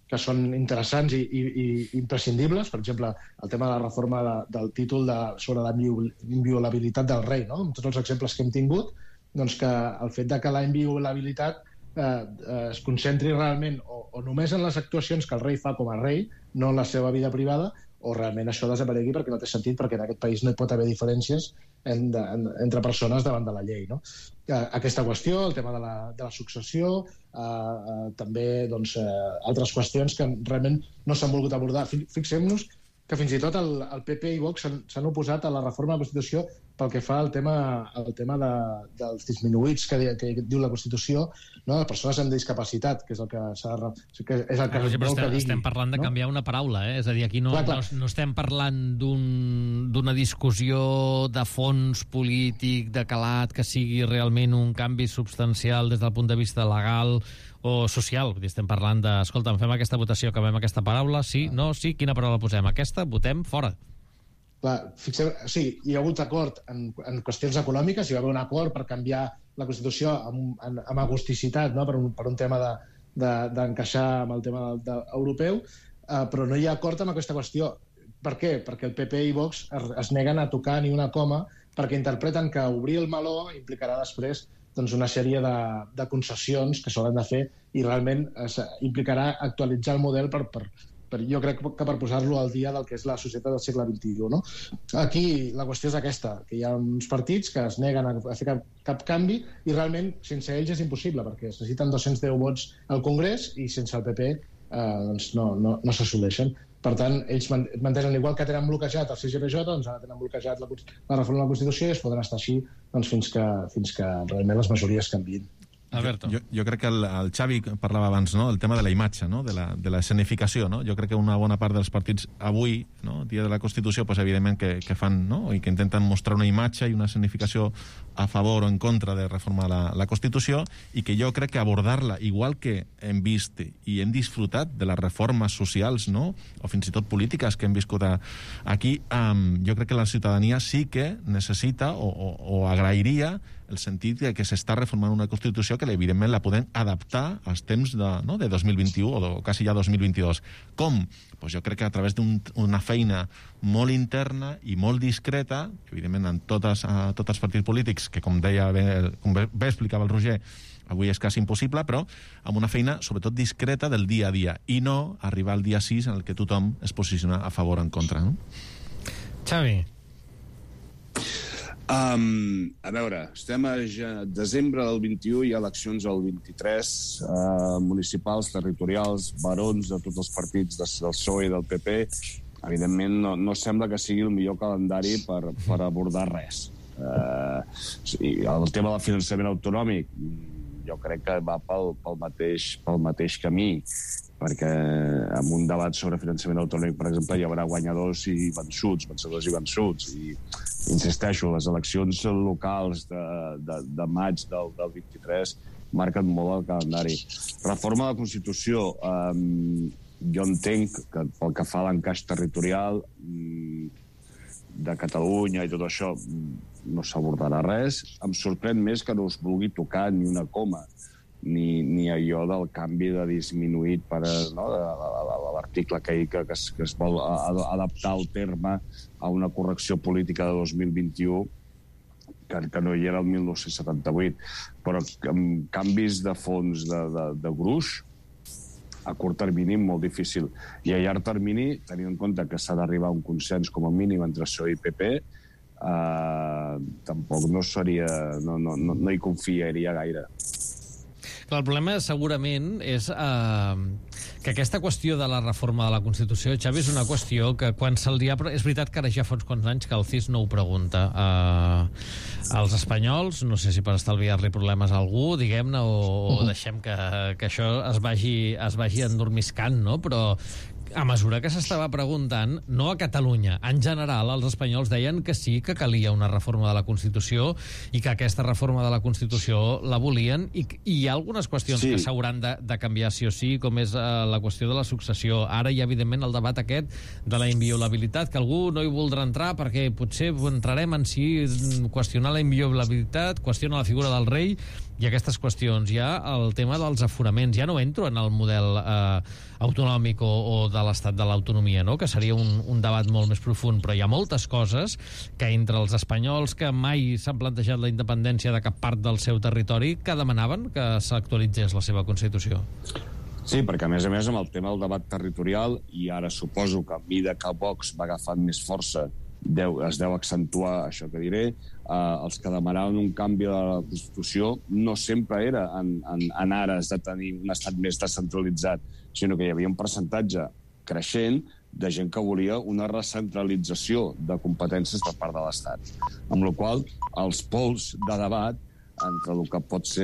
que són interessants i, i, i imprescindibles. Per exemple, el tema de la reforma de, del títol de, sobre la inviolabilitat del rei, no? Amb tots els exemples que hem tingut, doncs que el fet de que la inviolabilitat eh, eh, es concentri realment o, o només en les actuacions que el rei fa com a rei, no en la seva vida privada, o realment això desaparegui perquè no té sentit, perquè en aquest país no hi pot haver diferències en, de, en, entre persones davant de la llei, no? Eh, aquesta qüestió, el tema de la, de la successió, eh, eh, també doncs, eh, altres qüestions que realment no s'han volgut abordar. Fixem-nos que fins i tot el, el P P i Vox s'han oposat a la reforma de la Constitució pel que fa al tema, al tema de, dels disminuïts que, que diu la Constitució, no? Les persones amb discapacitat, que és el que s'ha de... Que és el que ah, però estem, que digui, estem parlant de no? canviar una paraula, eh? És a dir, aquí no, clar, clar. no, no estem parlant d'una un, discussió de fons polític, de calat, que sigui realment un canvi substancial des del punt de vista legal o social. Estem parlant de, escolta, fem aquesta votació, canviem aquesta paraula, sí, no, sí, quina paraula posem? Aquesta, votem, fora. Clar, fixeu, sí, hi ha hagut acord en, en qüestions econòmiques, hi va haver un acord per canviar la Constitució amb, amb, amb agusticitat, no? per, un, per un tema d'encaixar de, de, amb el tema de, de, europeu, eh, però no hi ha acord amb aquesta qüestió. Per què? Perquè el P P i Vox es, es neguen a tocar ni una coma perquè interpreten que obrir el meló implicarà després doncs, una sèrie de, de concessions que s'hauran de fer i realment es, implicarà actualitzar el model per, per, per, jo crec que per posar-lo al dia del que és la societat del segle vint-i-u. No? Aquí la qüestió és aquesta, que hi ha uns partits que es neguen a fer cap, cap canvi i realment sense ells és impossible, perquè es necessiten dos-cents deu vots al Congrés i sense el P P eh, doncs no, no, no s'assoleixen. Per tant, ells mantenen, igual que tenen bloquejat el C G P J, doncs ara tenen bloquejat la, la reforma de la Constitució i es poden estar així doncs, fins, que, fins que realment les majories canviïn. Alberto. Jo, jo crec que el, el Xavi parlava abans, no?, el tema de la imatge, no?, de la, de la escenificació, no? Jo crec que una bona part dels partits avui, no?, dia de la Constitució, pues, evidentment que, que fan, no?, i que intenten mostrar una imatge i una escenificació a favor o en contra de reformar la, la Constitució, i que jo crec que abordar-la, igual que hem vist i hem disfrutat de les reformes socials, no?, o fins i tot polítiques que hem viscut a, aquí, um, jo crec que la ciutadania sí que necessita o, o, o agrairia el sentit de que s'està reformant una Constitució que evidentment la podem adaptar als temps de, no, de dos mil vint-i-u o de, quasi ja dos mil vint-i-dos. Com? Pues jo crec que a través d'una un, feina molt interna i molt discreta, evidentment en totes, a, tots els partits polítics, que com deia bé, com bé explicava el Roger, avui és quasi impossible, però amb una feina sobretot discreta del dia a dia i no arribar al dia sis en el que tothom es posiciona a favor o en contra. No? Xavi. Um, a veure, estem a desembre del vint-i-u, hi ha eleccions al vint-i-tres, uh, municipals, territorials, barons de tots els partits del P S O E i del P P. Evidentment, no, no sembla que sigui el millor calendari per, per abordar res. Uh, el tema del finançament autonòmic jo crec que va pel, pel, mateix, pel mateix camí, perquè en un debat sobre finançament autonòmic, per exemple, hi haurà guanyadors i vençuts, vencedors i vençuts, i insisteixo, les eleccions locals de, de, de maig del, del vint-i-tres marquen molt el calendari. Reforma de la Constitució, um, jo entenc que pel que fa a l'encaix territorial um, de Catalunya i tot això no s'abordarà res. Em sorprèn més que no es vulgui tocar ni una coma, ni, ni allò del canvi de disminuït per, no, de, de, de, de l'article que, que, que, es, que es vol adaptar el terme a una correcció política de dos mil vint-i-u que, que no hi era el dinou setanta-vuit, però amb canvis de fons de, de, de gruix a curt termini molt difícil, i a llarg termini, tenint en compte que s'ha d'arribar a un consens com a mínim entre P S O E i P P, eh, tampoc no seria, no, no, no, no hi confiaria gaire. Clar, el problema segurament és eh, que aquesta qüestió de la reforma de la Constitució, Xavi, és una qüestió que quan se'l dia... És veritat que ara ja fa uns quants anys que el C I S no ho pregunta. Eh, als espanyols, no sé si per estalviar-li problemes a algú, diguem-ne, o, o deixem que, que això es vagi, es vagi endormiscant, no? Però a mesura que s'estava preguntant, no a Catalunya, en general, els espanyols deien que sí que calia una reforma de la Constitució i que aquesta reforma de la Constitució la volien, i, i hi ha algunes qüestions sí. que s'hauran de, de canviar sí o sí, com és uh, la qüestió de la successió. Ara hi ha, evidentment, el debat aquest de la inviolabilitat, que algú no hi voldrà entrar perquè potser entrarem en si qüestionar la inviolabilitat, qüestiona la figura del rei i aquestes qüestions. Hi ha el tema dels aforaments. Ja no entro en el model eh, autonòmic o, o de l'estat de l'autonomia, no? Que seria un, un debat molt més profund, però hi ha moltes coses que entre els espanyols que mai s'han plantejat la independència de cap part del seu territori que demanaven que s'actualitzés la seva Constitució. Sí, perquè a més a més amb el tema del debat territorial, i ara suposo que a mesura que Vox va agafant més força deu, es deu accentuar això que diré, eh, els que demanaven un canvi de la Constitució no sempre era en, en, en ares de tenir un estat més descentralitzat, sinó que hi havia un percentatge creixent de gent que volia una recentralització de competències per part de l'Estat. Amb la qual cosa, els pols de debat entre el que pot ser